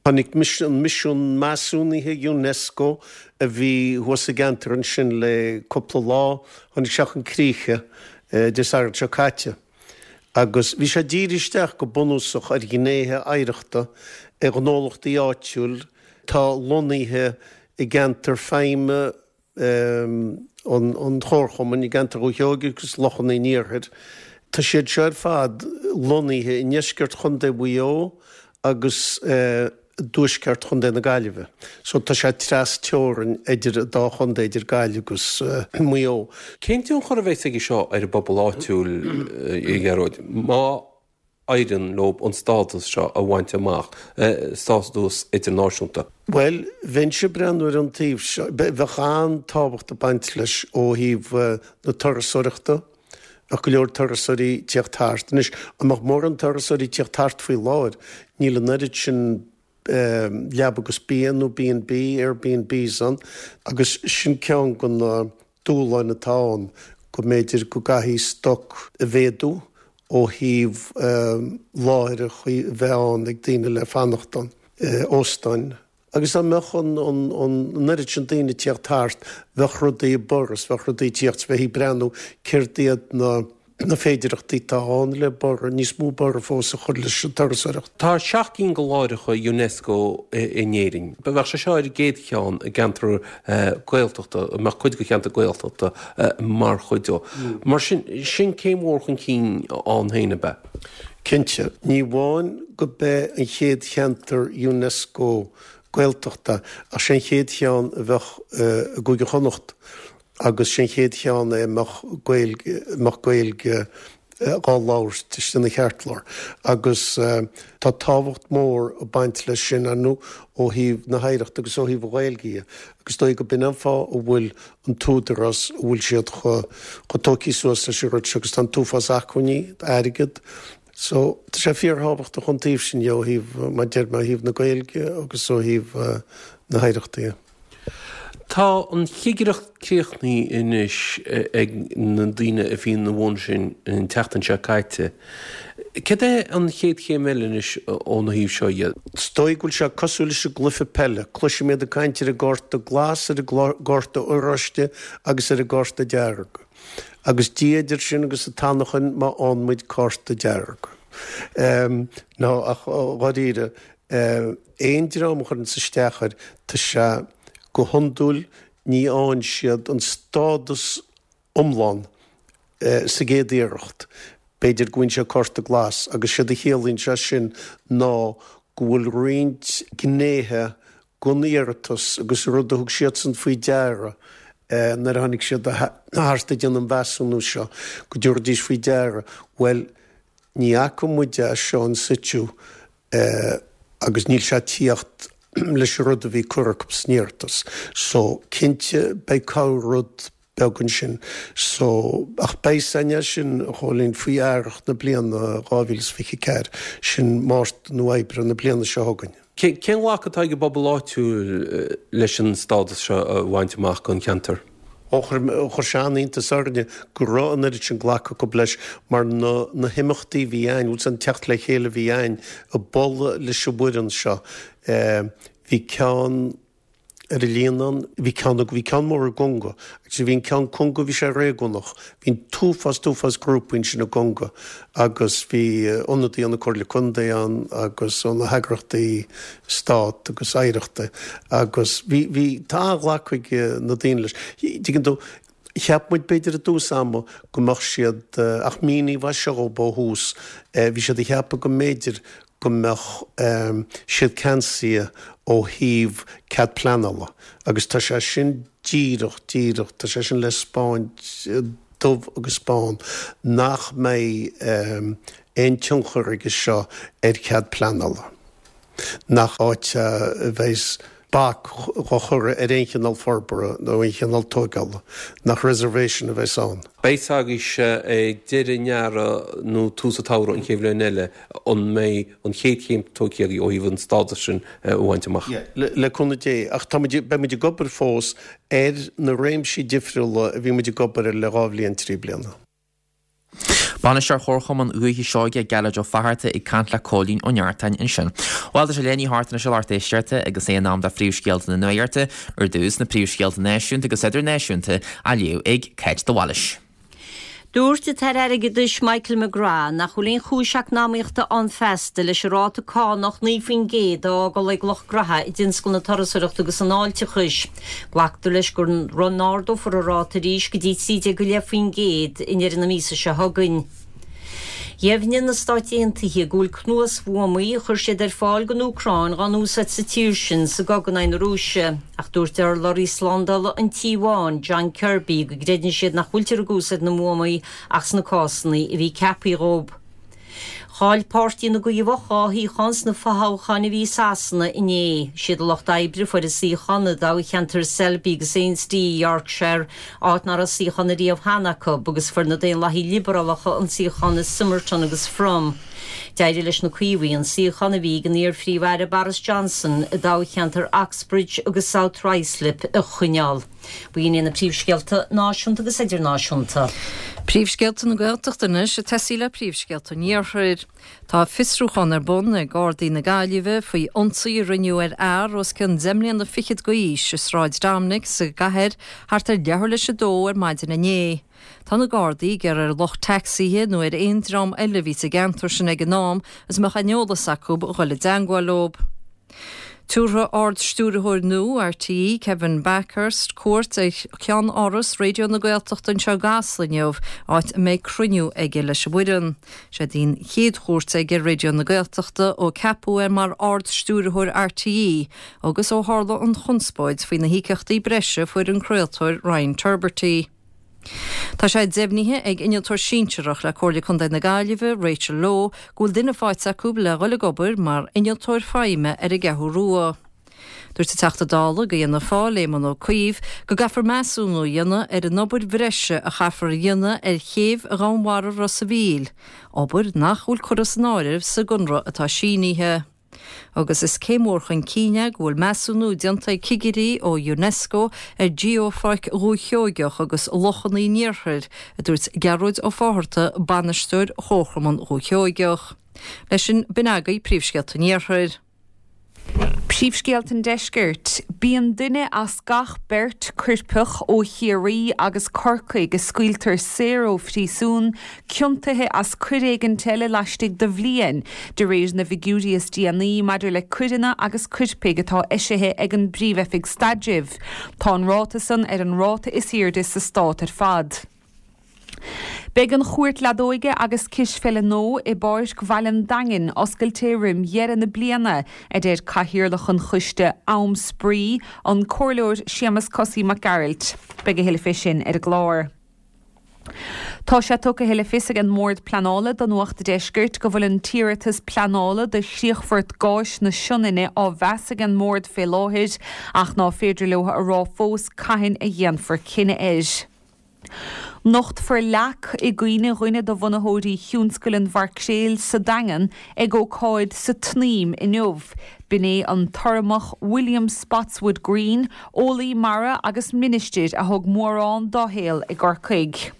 Tháinig an misiún measúnaithe Unesco a bhí thuas sa gceantar ansin le cúpla lá, tháinig sé chun críche Dé Sathairn seo caite. Agus bhí sé dírithe isteach go bunúsach ar ghnéithe oidhreachta ar ghnólachtaí áitiúil atá lonnaithe i gceantar feidhme an Chomharchumainn, i gceantar Dhúiche Sheoighe agus Lochanna an Iarthair. Tá siad seo ar fad lonnaithe i ndeisceart Chontae Mhaigh Eo agus i dtuaisceart Chontae na Gaillimhe. So tá sé treas teorainn idir an dá chontae, idir Gaillimh agus Maigh Eo. Cén tionchar a bheas aige seo ar an bpobal áitiúil, a Ghearóid, má éiríonn leo an stádas seo a bhaint amach, stádas idirnáisiúnta? Bhuel, bheinnse ag breathnú ar an taobh seo, bheadh an-tábhacht ag baint leis ó thaobh na turasóireachta, Bheadh go leor turasóirí ag tíocht thart. Anois, an mbeadh mórán turasóirí ag tíocht thart faoi láthair? Níl an oiread sin leaba agus bia nó B and B, Airbnbs ann agus sin ceann de na dúshláin atá ann, go mb'fhéidir go gcaithfidh stoc a mhéadú ó thaobh láithreacha a bheith ann ag daoine le fanacht ann, óstáin. Agus dá mbeadh an oiread sin daoine ag tíocht thart, bheadh rudaí ag borradh, bheadh rudaí ag tíocht, bheifí ag breathnú céard iad na féidearthachtaí atá ann le borradh, níos mó borradh fós a chur leis an turasóireacht. Tá 7 gcinn de láithreacha Unesco in Éirinn. Bheadh sé seo ar an gcéad cheann i gceantar Gaeltachta, a mbeadh cuid de cheantar Gaeltachta mar chuid de. Mar sin, sin céim mhór chun cinn ann féin, ab ea? Cinnte. Ní amháin go b'é an chéad cheantar Unesco Gaeltachta ach sé an chéad cheann a bheadh i gCúige Chonnacht agus sé an chéad cheann é a mbeadh Gaeilge, a mbeadh Gaeilge dhá labhairt istigh ina cheartlár. Agus tá tábhacht mhór ag baint leis sin, ar ndóigh, ó thaobh na hoidhreachta agus ó thaobh an Ghaeilge dhe. Agus is dóigh go b'in an fáth a bhfuil an tÚdarás, a bhfuil siad chomh tógtha suas leis an rud seo agus tá an t-uafás acmhainní, airgead. So, tá sé fíorthábhachtach ón taobh sin dhe, ó thaobh, mar a deir mé, ó thaobh na Gaeilge agus ó thaobh na hoidhreachta dhe. Tá an chigireacht críochnaithe anois ag na daoine a bhí ina bhun sin an tseachtain seo caite. Céard é an chéad chéim eile anois óna thaobh seo dhe? Is dóigh go bhfuil sé cosúil leis an gcluiche peile. Cloisim iad ag caint ar an gcárta glas, ar an gcárta oráiste agus ar an gcárta dearg. Agus Dia idir sinn agus an t-anachain má fhaigheann muid cárta dearg. No, ach dháiríre, aon dream a chuireanns isteach air, tá sé go hiondúil ní fhaigheann siad an stádas iomlán sa gcéad iarracht. B'fhéidir go bhfaigheann sé cárta glas agus séard a chiallaíonn sé sin ná go bhfuil roinnt gnéithe den iarratas agus rud a thug siadsan faoi deara nuair a tháinig siad thart ag déanamh an mheasúnú seo, go dtabharfaidís faoi deara, bhuel, ní fhaca muid é seo in situ agus níl sé ag tíocht leis an rud a bhí curtha acu san iarratas. So, cinnte, beidh corr-rud beag ansin. So, ach beidh a fhios againn é sin, a Chóilín, faoi earrach na bliana 2024, sin Márta nó Aibreán na bliana seo chugainn. Cén ghlacadh atá ag an bpobal áitiúil leis an stádas seo a bhaint amach don cheantar? Ó, chuir sé an-iontas orainne go raibh an oiread sin glacadh acu leis mar na na himeachtaí a bhí a'ainn, bhfuil 's an teacht le chéile a bhí a'ainn i bPolla leis an bhfoireann seo. Bhí ceann ar an Líonán, bhí ceann, bhí ceann mór i gConga agus bhí an ceann Conga, bhí sé réigiúnach, bhí an t-uafás, t-uafás grúpaí ansin i gConga agus bhí ionadaí ó na Comhairle Contae ann agus ó na heagraíochtaí stát agus oidhreachta agus bhí, bhí, tá an-ghlacadh ag na daoine leis. Tuigeann tú, cheap muid b'fhéidir i dtús ama go mbeadh siad, ach míníodh é seo dhóibh ó thús, bhí siad ag ceapadh go mb'fhéidir go mbeadh siad ceansaithe ó thaobh cead pleanála agus tá sé sin díreach, díreach, tá sé sin le 'spáint dubh agus bán nach mbeidh aon tionchar aige seo ar chead pleanála, nach áit a bheas bac á chur ar aon chineál forbartha nó aon chineál tóigeála, nach reservation a bheas ann. Beidh 's agaibhse ag deireadh an earraigh nó tús an tsamhraidh an chéad bhliain eile an mbeidh an chéad chéim tógtha agaibh ó thaobh an stádas sin a bhaint amach. Yeah, le cúnamh Dé. Ach tá muid, beidh muid ag obair fós ar na réimsí difriúla a bhí muid ag obair air le 2 bhliain, 3 bliana. Bainisteoir Chomharchumann Dhúiche Seoighe, Gearóid Ó Fatharta ag caint le Cóilín Ó Neartáin ansin. Bhuel, tá sé leath i ndiaidh a hocht anois a lucht éisteachta agus é in am do phríomhscéalta na nuachta, ar dtús na príomhscéalta náisiúnta agus idirnáisiúnta á léamh ag Cáit de Bhailís. Dúirt an tAire Airgeadais Michael McGrath nach bhfuil aon chúis eacnamaíochta ann feasta leis an ráta cánach 9% a fhágáil ag lucht graithe i dtionscal na turasóireachta agus an fháilteachais. Glactar leis go n-ardófar an ráta arís go dtí 13.5% i ndeireadh na míosa seo chugainn. Dheimhnigh na Stáit Aontaithe go bhfuil cnuasbhuamaí a chuir siad ar fáil don Úcráin dhá n-úsáid sa tír sin sa gcogadh in aghaidh na Rúise, ach dúirt urlabhraí slándála an Tí Bháin, John Kirby, go gcreideann siad nach bhfuiltear ag úsáid na mbuamaí ach sna cásanna a bhí ceaptha dhóibh. Chaill Páirtí na gCaomhach 2 shuíochán sna fothoghcháin a bhí i Sasana inné. Siad an Lucht Oibre a fuair an suíochán i dtoghcheantar Selby agus Ainsty i Yorkshire, áit nach raibh suíochán ariamh cheana acu, agus fuair na Daonlathaigh Liobrálacha an suíochán i Somerton agus Frome. D'éirigh leis na Caomhaigh an suíochán a bhí ag an iar-Phríomh-Aire Boris Johnson i dtoghcheantar Oxbridge agus South Ruislip a choinneáil. B'in iad na príomhscéalta náisiúnta agus idirnáisiúnta. Príomhscéalta na Gaeltachta anois ag tosaí le príomhscéalta an Iarthair. Tá fiosrúchán ar bun ag Gardaí na Gaillimhe faoi ionsaí a rinneadh ar fhear os cionn deich mbliana fichead d'aois i Sráid Dominic sa gcathair thart ar leathuair leis a dó ar maidin inné. Tá na Gardaí ag iarraidh ar lucht tacsaithe nó ar aon dream eile a bhí sa gceantar sin ag an am is a mbeadh aon eolas acu a dhul i dteangmháil leo. Tabharfaidh Ard-Stiúrthóir nua RTÉ, Kevin Bakhurst, cuairt ar cheann-áras Raidió na Gaeltachta anseo i gCasla inniu, áit a mbeidh cruinniú aige leis an bhfoireann. Seo'd í an chéad chuairt aige ar Raidió na Gaeltachta ó ceapadh é mar Ard-Stiúrthóir RTÉ agus ó tharla an chonspóid faoi na híocaíochtaí breise a fuair an craoltóir Ryan Tubridy. Tá sé deimhnithe ag Innealtóir Sinsearach le Comhairle Contae na Gaillimhe, Rachel Lowe, go bhfuil duine faighte acu le dhul ag obair mar Innealtóir Feidhme ar an gCeathrú Rua. Dúirt an Teachta Dála do Fhianna Fáil, Éamon Ó Cuív, go gcaithfear measúnú a dhéanamh ar an obair bhreise a chaithfear a dhéanamh ar chéibh Dhomhanmhara Ros a' Mhíl, obair nach bhfuil curtha san áireamh sa gconradh atá sínithe. Agus is céim mhór chun cinn é go bhfuil measúnú déanta ag cigirí ó Unesco ar Gheopháirc Dhúiche Sheoigeach agus Lochanna an Iarthair, a dúirt Gearóid Ó Fátharta, Bainisteoir Chomharchumann Dhúiche Sheoigeach. Leis sin, b'in agaibh príomhscéalta an Iarthair. Príomhscéalta an Deiscirt. Bíonn duine as gach beirt coirpeach ó Chiarraí agus Corcaigh a scaoiltear saor ó phríosún ciontaithe as coir éigint eile laistigh de bhliain, de réir na bhfigiúirí is déanaí maidir le coireanna agus coirpigh atá eisithe ag an bPríomh-Oifig Staidrimh. Tá an ráta san ar an ráta is airde sa stát ar fad. Beidh an Chúirt Leadóige agus Cispheile nua i bPáirc Bhaile an Daingin oscailte roim dheireadh na bliana, a deir Cathaoirleach an choiste Am Spraoi, an Comhairleoir Séamus Cosaí Mac Gearailt. Beidh a thuilleadh fé sin ar an gclár. Tá sé tugtha le fios ag an mBord Pleanála do Nuacht a' Deiscirt go bhfuil an t-iarratas pleanála do chríochfort gáis na Sionainne á mheas ag an mBord fé láthair ach ná féidir leo a rá fós cathain a dhéanfar cinneadh air. Nochtfar leac i gcuimhne dhuine de bhunaitheoirí Thionscail an Mhaircréil sa Daingean ag ócáid sa tSnaidhm inniu. B'in é an tUrramach William Spotswood Green, eolaí mara agus ministir a thug mórán dá shaol i gCorcaigh.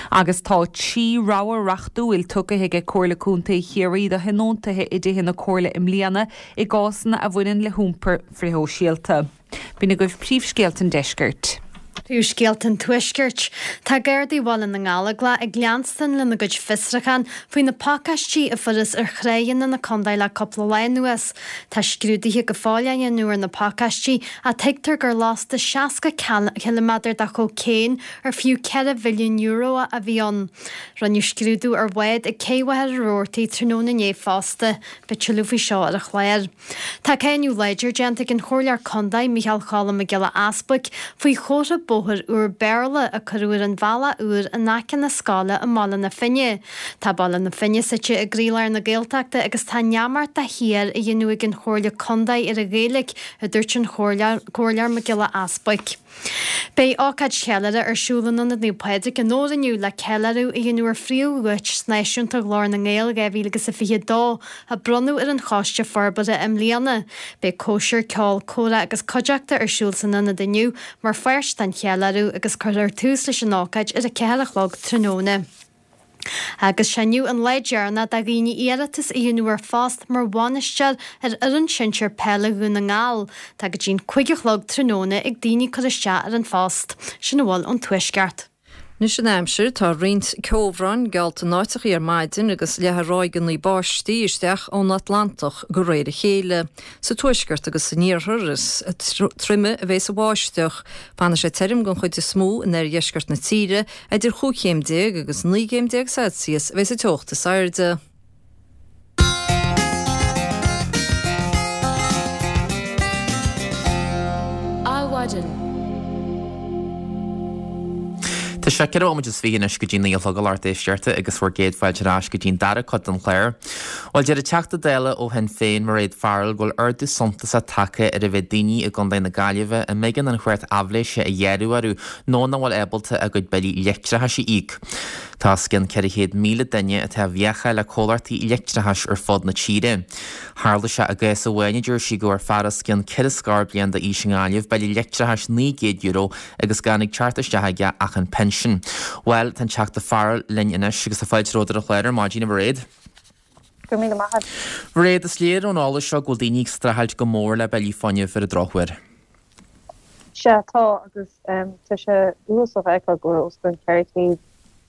Agus tá 3 rogha reachtúil tugtha aige Comhairle Contae Chiarraí do thionóntaithe i dtithe na Comhairle i mbliana i gcásanna a bhaineann le hiompar frithshóisialta. B'in agaibh príomhscéalta an deiscirt. Príomhscéalta an Tuaiscirt. Tá Gardaí Bhaile na nGallóglach ag leanstan lena gcuid fiosrachán faoi na pacáistí a fuarthas ar thráigheanna na contae le cúpla lá anuas. Tá scrúduithe go fóill á ndéanamh ar na pacáistí ach tuigtear gur lasta 60 ciliméadar de chócaon ar fiú €4 mhilliún a bhí ann. Rinneadh scrúdú ar bhád ag Cé Mhachaire Rabhartaigh tráthnóna inné fosta. Beidh tuilleadh faoi seo ar an chlár. Tá cáineadh láidir déanta ag an Chomhairleoir Contae, Micheál Cholm Mac Giolla Easbuic, faoi chomhartha bóthair úr Béarla a cuireadh ar an bhealach úr in aice na scoile i mBaile na Finne. Tá Baile na Finne suite i gcroílár na Gaeltachta agus tá neamart de shíor á dhéanamh ag an Chomhairle Contae ar an Ghaeilge, a dúirt an Comhairleoir Mac Giolla Easbuic. Beidh ócáid cheiliúrtha ar siúl in Ionad Naomh Pádraig i nDobhar inniu le ceiliúradh a dhéanamh ar phríomhdhuais náisiúnta Ghlór na nGael 2022 a bronnadh ar an Choiste Forbartha i mbliana. Beidh cóisir, ceol, comhrá agus cuideachta ar siúl san ionad inniu mar pháirt den cheiliúradh agus cuirfear tús leis an ócáid ar a 4 a chlog tráthnóna. Agus sé inniu an lá deireanach do dhaoine iarratas a dhéanamh ar phost mar bhainisteoir ar fhoireann sinsir peile Dhún na nGall. Tá go dtí'n 5 a chlog tráthnóna ag daoine cur isteach ar an phost. Sin a bhfuil ón Tuaisceart. Anois an aimsir, tá roinnt ceobhráin geallta in áiteachaí ar maidin agus leathfaidh ráigeanna báistí isteach ón Atlantach de réir a chéile. Sa tuaisceart agus san iarthar is troime a bheas an bháisteach. Fanfaidh sé tirim den chuid is mó in oirdheisceart na tíre, Idir chúig chéim déag agus 19 gcéim Celsius a bheas an teocht is airde. Adhmhaidin. Tá sé 24 nóiméad anois go dtí 9 a chlog a lucht éisteachta agus bhur gcéad fáilte ar ais go dtí'n dara cuid den chlár. Bhuel, deir an Teachta Dála ó Shinn Féin, Mairéad Farrell, go bhfuil ardú suntasach tagtha ar an mhéid daoine i gContae na Gaillimhe a mb'éigean an chreat aibhléise a ghearradh orthu nó nach bhfuil ábalta a gcuid billí leictreachais a íoc. Tá os cionn 400,000 duine atá i bhfiacha le comhlachtaí leictreachais ar fud na tíre. Tharla sé i gcás amháin, a deir sí, go bhfuair fear os cionn ceithre scór bliain d'aois i nGaillimh bille leictreachais €900 agus gan ag teacht isteach aige ach an pinsean. Bhuel, tá an Teachta Farrell linn anois agus tá fáilte romhat ar an chlár ar maidin, a Mhairéad. Go raibh míle maith agat. Mhairéad, is léir ón eolas seo go bhfuil daoine ag streachailt go mór le billí fuinnimh ar an drochuair. Sea, tá, agus tá sé uafásach a fheiceáil go bhfuil os cionn 400,000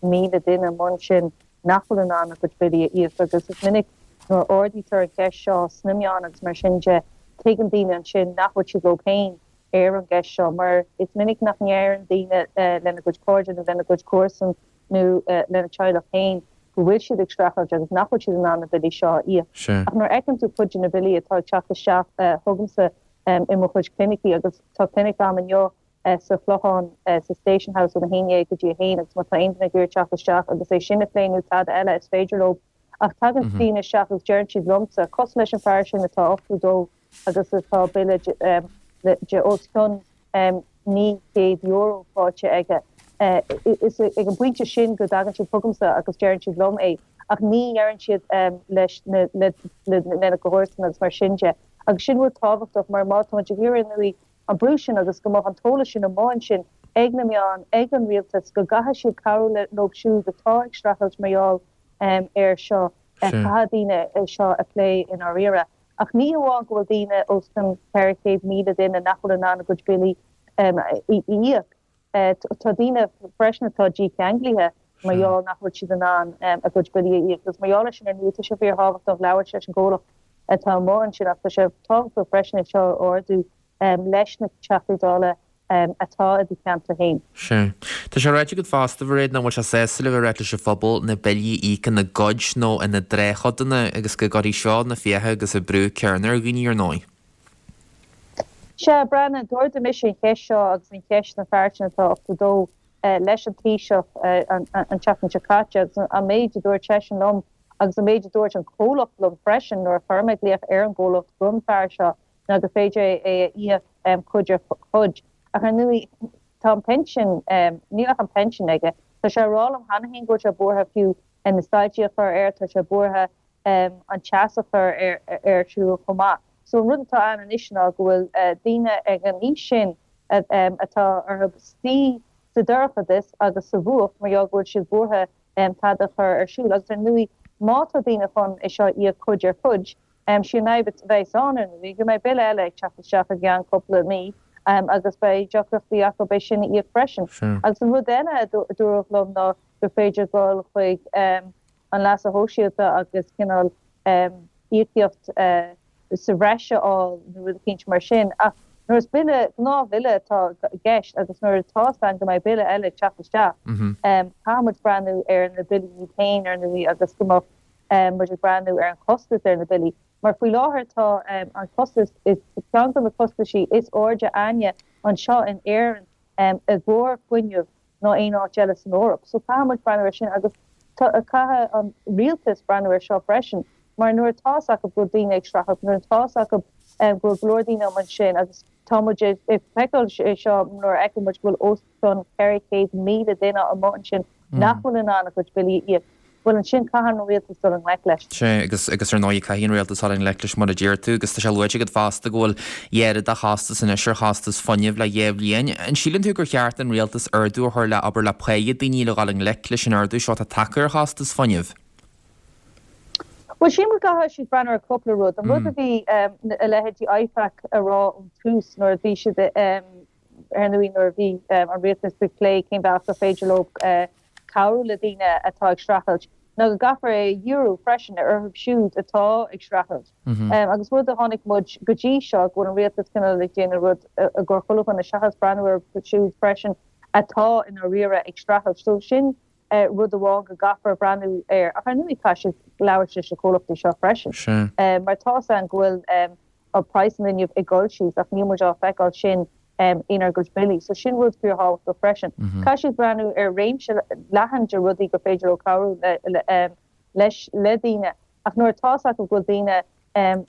duine amuigh ansin nach bhfuil in ann a gcuid billí a íoc agus is minic nuair a ardaítear an cheist seo sna meáin agus mar sin de, tuigeann daoine ansin nach bhfuil siad leo féin ar an gceist seo mar is minic nach ndeireann daoine lena gcuid cairde nó lena gcuid comharsan nó lena teaghlach féin go bhfuil siad ag streachailt agus nach bhfuil siad in ann na billí seo a íoc. Ach nuair a fheiceann tú cuid de na billí atá ag teacht isteach chugamsa i mo chuid clinicí, agus tá clinic agam inniu sa Chlochán sa Station House óna haon dhéag go dtí a haon agus má tá aon duine ag iarraidh teacht isteach agus é sin a phlé nó tada eile is féidir leo. Ach tagann daoine isteach agus deireann siad liomsa, cosúil leis an fear sin atá 82 agus atá bille de os cionn €900 faighte aige. Is ag an bpointe sin go dtagann siad chugamsa agus deireann siad liom é, ach ní dheireann siad leis na lena gcomharsana agus mar sin de. Agus sin rud tábhachtach mar má tá muid ag iarraidh ar ndóigh an brú sin agus go mbeadh an t-eolas sin amuigh ansin ag na meáin, ag an rialtas, go gcaithfidh siad cabhrú leo siúd atá ag streachailt mar gheall air seo, caithfidh daoine é seo a phlé i ndáiríre. Ach ní hamháin go bhfuil daoine, os cionn 400,000 duine, nach bhfuil in ann a gcuid billí a íoc, tá daoine freisin atá dícheanglaithe mar gheall nach bhfuil siad in ann a gcuid billí a íoc. Agus mar gheall air sin, ar ndóigh, tá sé fíorthábhachtach labhairt leis an gcomhlacht atá amuigh ansin ach tá sé tábhachtach freisin é seo a ardú leis na Teachtaí Dála atá i do cheantar féin. Sea. Tá sé ráite agat fosta, a Mhairéad, nach bhfuil sé sásúil a bheith ag ráit leis an phobal na billí a íoc ina gcuid nó ina dtráthchodanna agus go gcuirfidh seo na fiacha agus an brú céanna ar dhaoine, ar ndóigh. Sea, Breandán, d'ardaigh mise an cheist seo agus an cheist an fear sin atá 82 leis an Taoiseach an tseachtain seo caite agus an méid a dúirt seisean liom agus an méid a dúirt an comhlacht liom freisin nuair a chuir mé glaoch ar an gcomhlacht don fear seo ná gur féidir é a íoc cuid ar chuid. Ach ar ndóigh, tá an pinsean, níl ach an pinsean aige. Tá sé ag rá liom cheana féin go bhfuil sé buartha fiú na soilsí a chur air, tá sé buartha an teas a chur ar siúl chomh maith. So an rud atá ann anois ná go bhfuil daoine ag an aois sin atá orthu suí sa dorchadas agus sa bhfuacht mar gheall go bhfuil siad buartha tada a chur ar siúl. Agus ar ndóigh má tá daoine chun é seo a íoc cuid ar chuid, sí an fhadhb a bheas ann ar ndóigh go mbeidh bille eile ag teacht isteach i gceann cúpla mí agus beidh deacrachtaí acu é sin a íoc freisin. Agus an rud eile a dúradh liom ná gur féidir dul chuig an leasa shóisialta agus cineál íocaíocht sa bhreis a fháil nó rud eicínt mar sin. Ach nuair is bille, gnáthbhille atá i gceist agus nuair atá 's againn go mbeidh bille eile ag teacht isteach, caithfidh muid breathnú ar na billí iad féin ar ndóigh agus go mbeadh muid ag breathnú ar an chostas ar na billí. Mar faoi láthair tá an costas, is ceann de na costaisí is airde againne anseo in Éirinn i gcomhair fuinneamh ná aon áit eile san Eoraip. So caithfidh muid breathnú ar sin agus caithfidh an rialtas breathnú ar seo freisin mar nuair atá 's acu go bhfuil daoine ag streachailt, nuair atá 's acu go bhfuil go leor daoine amuigh ansin agus tá muid ag feiceáil é seo nuair a fheiceann muid go bhfuil os cionn 400,000 duine amuigh ansin nach bhfuil in ann a gcuid billí a íoc. Bhuel ansin caithfidh an rialtas dul i ngleic leis. Sea, agus, agus ar ndóigh caithfidh an rialtas dul i ngleic leis mar a deir tú, agus tá sé luaite agat fosta go bhfuil oiread de chostas anois ar chostas fuinnimh le dhá bhliain. An síleann tú gur cheart don rialtas ardú a chur le obair le páighe daoine le dhul i ngleic leis an ardú seo atá tagtha ar chostas fuinnimh? Bhuel, sílim go gcaithfidh siad breathnú ar cúpla rud. An rud a bhí a leithéidí IFAC a rá ón tús nuair a bhí siad, ar ndóigh nuair a bhí an rialtas ag plé cén bealach gur féidir leo cabhrú le daoine atá ag streachailt, ná go gcaithfear é a dhíriú freisin orthu siúd atá ag streachailt. Agus rud a chonaic muid go dtí seo, go bhfuil an rialtas cineál ag déanamh rud i gcomhair chuile dhuine seachas breathnú orthu siúd freisin atá i ndáiríre ag streachailt. So sin rud amháin go gcaithfear breathnú air. Ach ar ndóigh caithfidh siad labhairt leis na comhlachtaí seo freisin. Mar tá's againn go bhfuil praghas an fhuinnimh ag dul síos ach níl muid á feiceáil sin inár gcuid billí. So sin rud fíorthábhachtach freisin. Caithfidh siad breathnú ar réimse leathan de rudaí gur féidir leo cabhrú leis le daoine ach nuair atá's acu go bhfuil daoine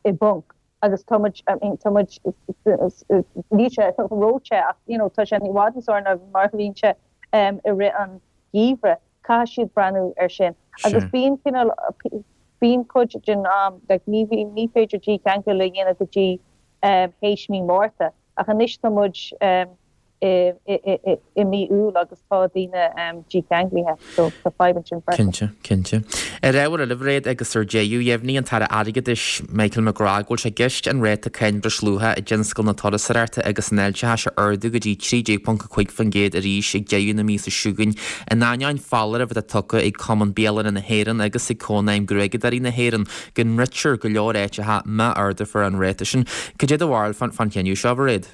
i bponc agus tá muid, I mean, tá muid, níl sé ró-the ach you know tá sé i bhfad níos fearr ná mar a bhíonn sé i rith an gheimhridh. Caithfidh siad breathnú air sin. Agus bíonn cineál, bíonn cuid den am, like ní, ní féidir dícheangal a dhéanamh go dtí théis mí Márta. Ach anois tá muid i mí Iúil agus tá daoine dícheanglaithe, so tá fadhb ansin freisin. Cinnte, cinnte. Ar ábhar eile, a Mhairéad, agus ar deireadh, dheimhnigh an tAire Airgeadais, Michael McGrath, go bhfuil sé i gceist an ráta cáin breisluacha i dtionscal na turasóireachta agus an fháilteachais a ardú go dtí 13.5% arís ag deireadh na míosa seo chugainn, in ainneoin foláireamh atá tugtha ag Cumann Bialanna na hÉireann agus ag Cónaidhm Gruaigeadóirí na hÉireann go ndruidfear go leor áiteacha má ardófar an ráta sin. Cad é do bharúil fán chinneadh seo, a Mhairéad?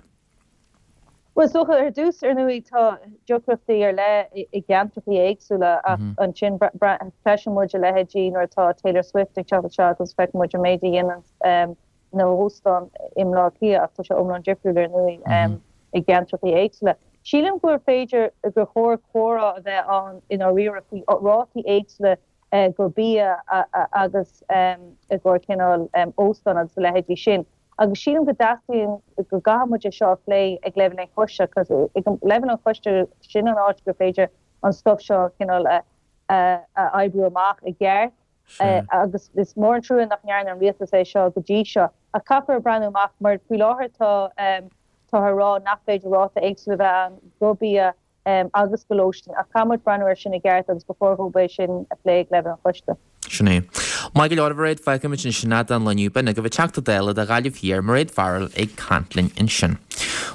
Bhuel, is dócha, ar dtús, ar ndóigh, tá deacrachtaí ar leith i gceantrachaí éagsúla ach ansin cloiseann muid a leithéidí nuair atá Taylor Swift ag teacht isteach agus feiceann muid an méid a dhéanann na hóstáin i mBleá Cliath ach tá sé iomlán difriúil ar ndóigh i gceantrachaí éagsúla. Sílim gur féidir, gur chóir comhrá a bheith ann i ndáiríre faoi rátaí éagsúla go bia agus i gcomhair cineál óstán agus a leithéidí sin. Agus sílim go dteastaíonn, go gcaithfidh muid é seo a phlé ag leibhéal an choiste, cos ag leibhéal an choiste sin an áit gur féidir an stuff seo cineál a a oibriú amach i gceart. Agus is mór an trua nach ndearna an rialtas é seo go dtí seo. Ach caithfear breathnú amach mar faoi láthair tá táthar ag rá nach féidir ráta éagsúil a bheith ann go bia agus go lóistín, ach caithfidh muid breathnú air sin i gceart agus ba chóir dhóibh é sin a phlé ag leibhéal an choiste. Sin é. Maith go leor, a Mhairéad, fágfaimid ansin é don lá inniu. B'in agaibh an Teachta Dála do Ghaillimh Thiar, Mairéad Farrell ag caint linn ansin.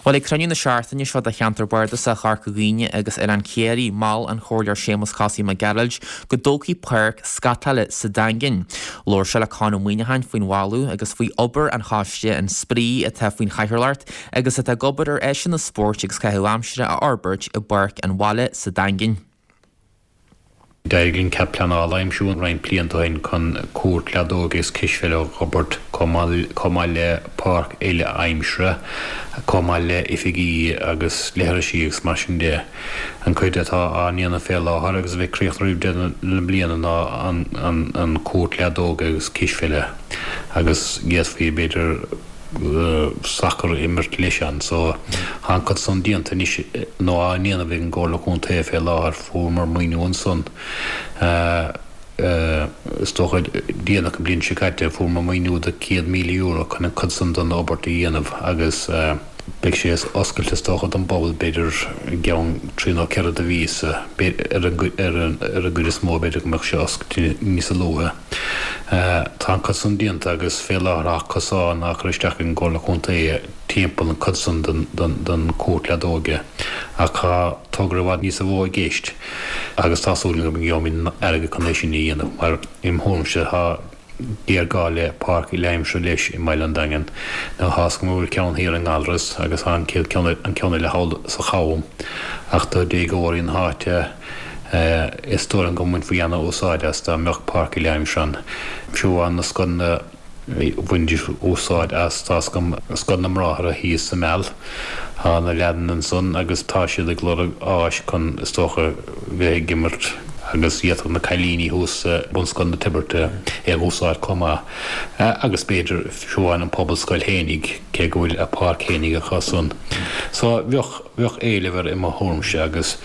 Bhuel, ag cruinniú na seachtaine seo de Cheantar Bardasach Chorca Dhuibhne agus Oileán Ciarraí, mhol an Comhairleoir Séamus Cosaí Mac Gearailt go dtógfaí páirc scatála sa Daingean. Labhair sé le Conn Ó Muíneacháin faoin mholadh agus faoi obair an choiste an spraoi atá faoin chathaoirleacht agus atá ag obair ar áiseanna spóirt agus caitheamh aimsire a fhorbairt i bPáirc an Bhaile sa Daingean. D'éirigh linn cead pleanála a aimsiú roinnt blianta ó shin chun cúirt leadóige agus cispheile a fhorbairt, chomh maith le páirc uile aimsire, chomh maith le oifigí agus leithrisí agus mar sin de. An cuid atá á ndéanamh fé láthair agus a bheidh críochnaithe roimh deireadh na bliana ná an cúirt leadóige agus cispheile agus d'fhéadfaí, b'fhéidir. sacar a imirt leis ann. So tá an cuid san déanta anois nó á ndéanamh ag an gComhairle Contae fé láthair. Fuaireamar maoiniú ansan is dócha déanach an bliain seo caite, fuaireamar maoiniú de €100,000 chun an cuid san den obair a dhéanamh agus beidh sé oscailte is dócha don bpobal b'fhéidir i gceann trí nó ceithre de mhíosa, ar an gcuid is mó b'fhéidir go mbeadh sé oscailte níosa luaithe. Tá an cuid san déanta agus fé láthair tá cosán á chur isteach ag an gComhairle Contae timpeall an cuid san den cúirt leadóige ach tá togra i bhfad níosa mhó i gceist agus tá súil agam go ngeobhaimid an airgead chun é sin a dhéanamh mar im thuairimse tá géarghá le páirc uile-aimsire leis i mbaile an Daingin. Now tá's agam go bhfuil ceann thiar i nGallarus agus tá an chéad ceann an ceann eile thall sa Cham ach do déagóirí na háite is dóigh liom go mbainfí ana-úsáid as dá mbeadh páirc uile-aimsire ann. Fiú amháin na scoileanna bhainfidís úsáid as, tá's agam, Scoil na mBráithre thíos sa Meal, tá na leaideanna ansan agus tá siad ag lorg áis chun, is dócha, bheith ag imirt agus d'fhéadfadh na cailíní thuas i Bunscoil na Toirbhirte é a úsáid chomh maith agus b'fhéidir fiú amháin an Phobalscoil fhéinig, cé go bhfuil a páirc fhéinig acu san. So bheadh. Bheadh éileamh air i mo thuairimse agus.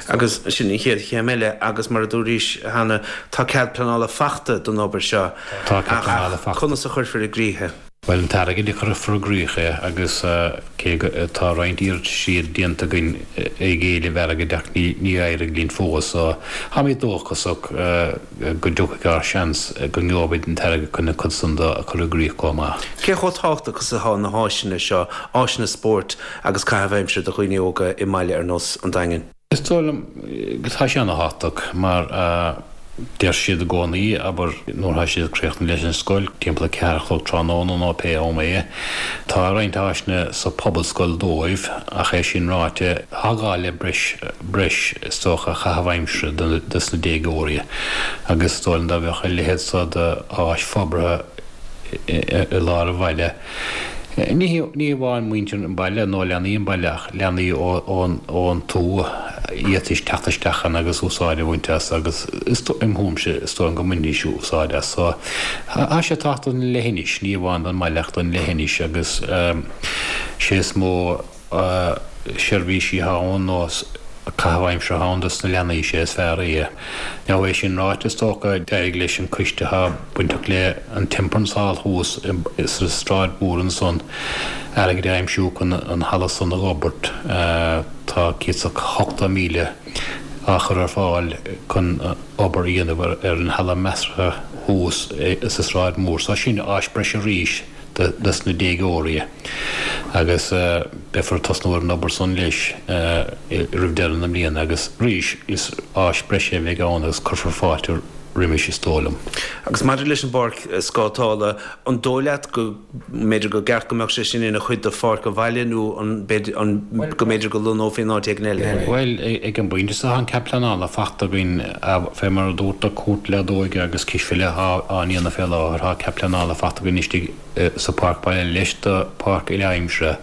Agus sin an chéad chéim eile agus mar a dúraís cheana tá cead pleanála fachta don obair seo Tá cead pleanála ach fachta. conas a chuirfear i gcrích é? Bhuel an t-airgead a chuirfear i gcrích é agus cé go tá roinnt iarrataisí déanta againn ag éileamh airgid ach ní d'éirigh linn fós so táimid dóchasach go dtiocfaidh ár seans go ngeobhaimid an t-airgead chun an cuid san de a chur i gcrích chomh maith. Cé chomh tábhachtach is atá na háiseanna seo, áiseanna spóirt agus caitheamh aimsire do dhaoine óga i mbaile ar nós an Daingin. Is dóigh liom go tá sé ana-thábhachtach mar a deir siad i gcónaí, abair, nuair atá siad ag críochnú leis an scoil, timpeall a ceathair a chlog tráthnóna nó pé am é. Tá roinnt áiseanna sa phobalscoil dóibh ach é sin ráite, tá gá le breis, breis is dócha, caitheamh aimsire dos na déagóirí agus is dóigh liom dá mbeadh a leithéid so d'áis forbartha i lár an bhaile, Ní hamháin muintir an bhaile nó leanaí an bhaile ach leanaí ón tuath, d'fhéadfaidís teacht isteach ann agus úsáid a bhaint as agus im thuairimse is dóigh liom go mbainfidís úsáid as. So tá sé tábhachtach don leithinis, ní amháin don mbaile ach don leithinis agus sé is mó seirbhísí atá ann nó caitheamh aimsire atá ann dos na leanaí, sé is fearr é. Now é sin ráite is dócha d'éirigh leis an coiste atá bainteach le an Temperance Hall thuas sa Sráid Mhór ansan airgead a aimsiú chun an halla san a dh'fhorbairt. Tá 180,000 á chur ar fáil chun obair a dhéanamh ar an halla measartha thuas sa Sráid Mhór. So sin áis breise arís. dos na déagóirí agus beifear ag tosnú ar an obair san leis roimh deireadh na bliana agus arís is áis breise a bheidh ann agus cuirfear fáilte roimis is dóigh liom. Agus maidir leis an bpáirc scátála, an dóigh leat go mb'fhéidir go gceart go mbeadh sé sin ina chuid de pháirc an bhaile nó an go mb'fhéidir go lonnófaí in áit éigin eile é? Bhuel, ag an bpointe seo tá an cead pleanála fachta againn fé mar a dúrt do cúirt leadóige agus cispheile atá á ndéanamh fé láthair. Tá cead pleanála fachta againn istigh sa pháirc baile leis do pháirc uile-aimsire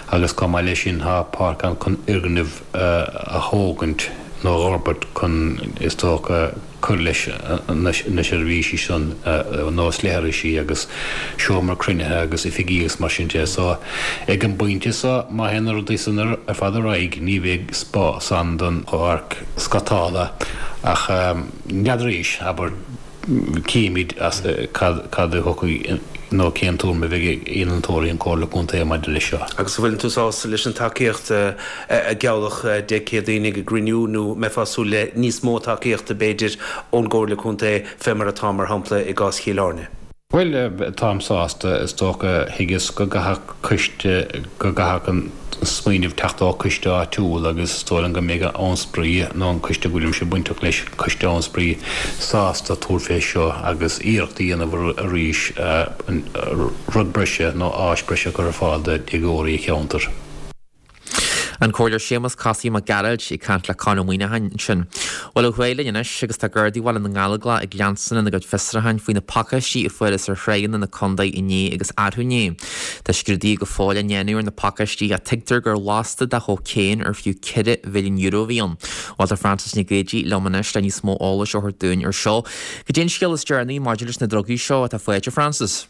agus chomh maith leis sin tá páirc ann chun fhoirgneamh a thógaint nó a dh'fhorbairt chun is dócha cur leis na seirbhísí san nós leithrisí agus seomra cruinnithe agus oifigí agus mar sin de. So ag an bpointe so má théann na rudaí san ar fad ar aghaidh ní bheidh spás ann don pháirc scátála ach n'fheadar arís, abair, címid cad a thiocfaidh nó cén tuairim a bheidh ag innealtóirí an Chomhairle Contae maidir leis seo. Agus an bhfuileann tú sásta leis an tacaíocht a gealladh Dé Céadaoin ag an gcruinniú nó mbeifeá ag súil le níos mó tacaíochta b'fhéidir ón gComhairle Contae fé mar atá mar shampla i gcás Chill Airne? Bhuel, táim sásta, is dócha. Thuigeas go gcaithfeadh coiste, go gcaithfeadh an smaoineamh teacht ó choiste áitiúil agus is dóigh liom go mbeidh Abhainn Spraoi, nó an coiste a bhfuilimse bainteach leis, Coiste Abhainn Spraoi, sásta tabhairt fé seo agus iarracht a dhéanamh arís rud breise nó áis breise a chur ar fáil do dhéagóirí an cheantair. An Comhairleoir Séamus Cosaí Mac Gearailt ag caint le Conn Ó Muíneacháin ansin. Bhuel, ó thuaidh linn anois agus tá Gardaí Bhaile na nGallóglach ag leanstan lena gcuid fiosrúcháin faoi na pacáistí a fuarthas ar thráigheanna na contae inné agus arú inné. Tá scrúduithe go fóill á ndéanamh ar na pacáistí ach tuigtear gur lasta de chócaon ar fiú €4 mhilliún a bhí ann. Bhuel, tá Frances Nic Géadaigh liom anois le níos mó eolais a thabhairt dúinn ar seo. Cad é an scéal is deireanaí maidir leis na drugaí seo atá faighte, Frances?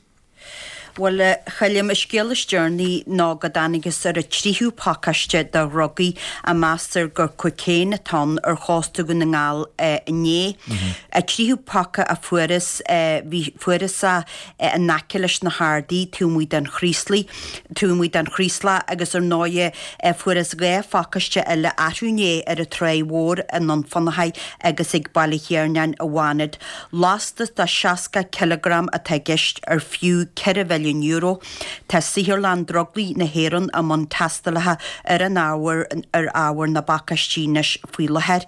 Bhuel, a Choilm, an scéal is deireanaí ná go dtángthas ar an tríú pacáiste de dhrugaí a meastar gur cocaine atá ann ar chósta Dhún na nGall inné. An tríú paca a fuarthas, bhí, fuarthas é in aice leis na hArdaí taobh amuigh den Chraoslaigh, taobh amuigh den Chraoslach agus ar ndóighe fuarthas 2 phacáiste eile arú inné ar an Tráigh Mhór i nDún Fionnachaidh agus ag Baile Thiarnáin i bhFánad. Lastas de 60 cileagram atá i gceist ar fiú €4 mhilliún. Tá Saotharlann Drugaí na hÉireann i mbun tástálacha ar an ábhar ar ábhar na bpacáistí anois faoi láthair.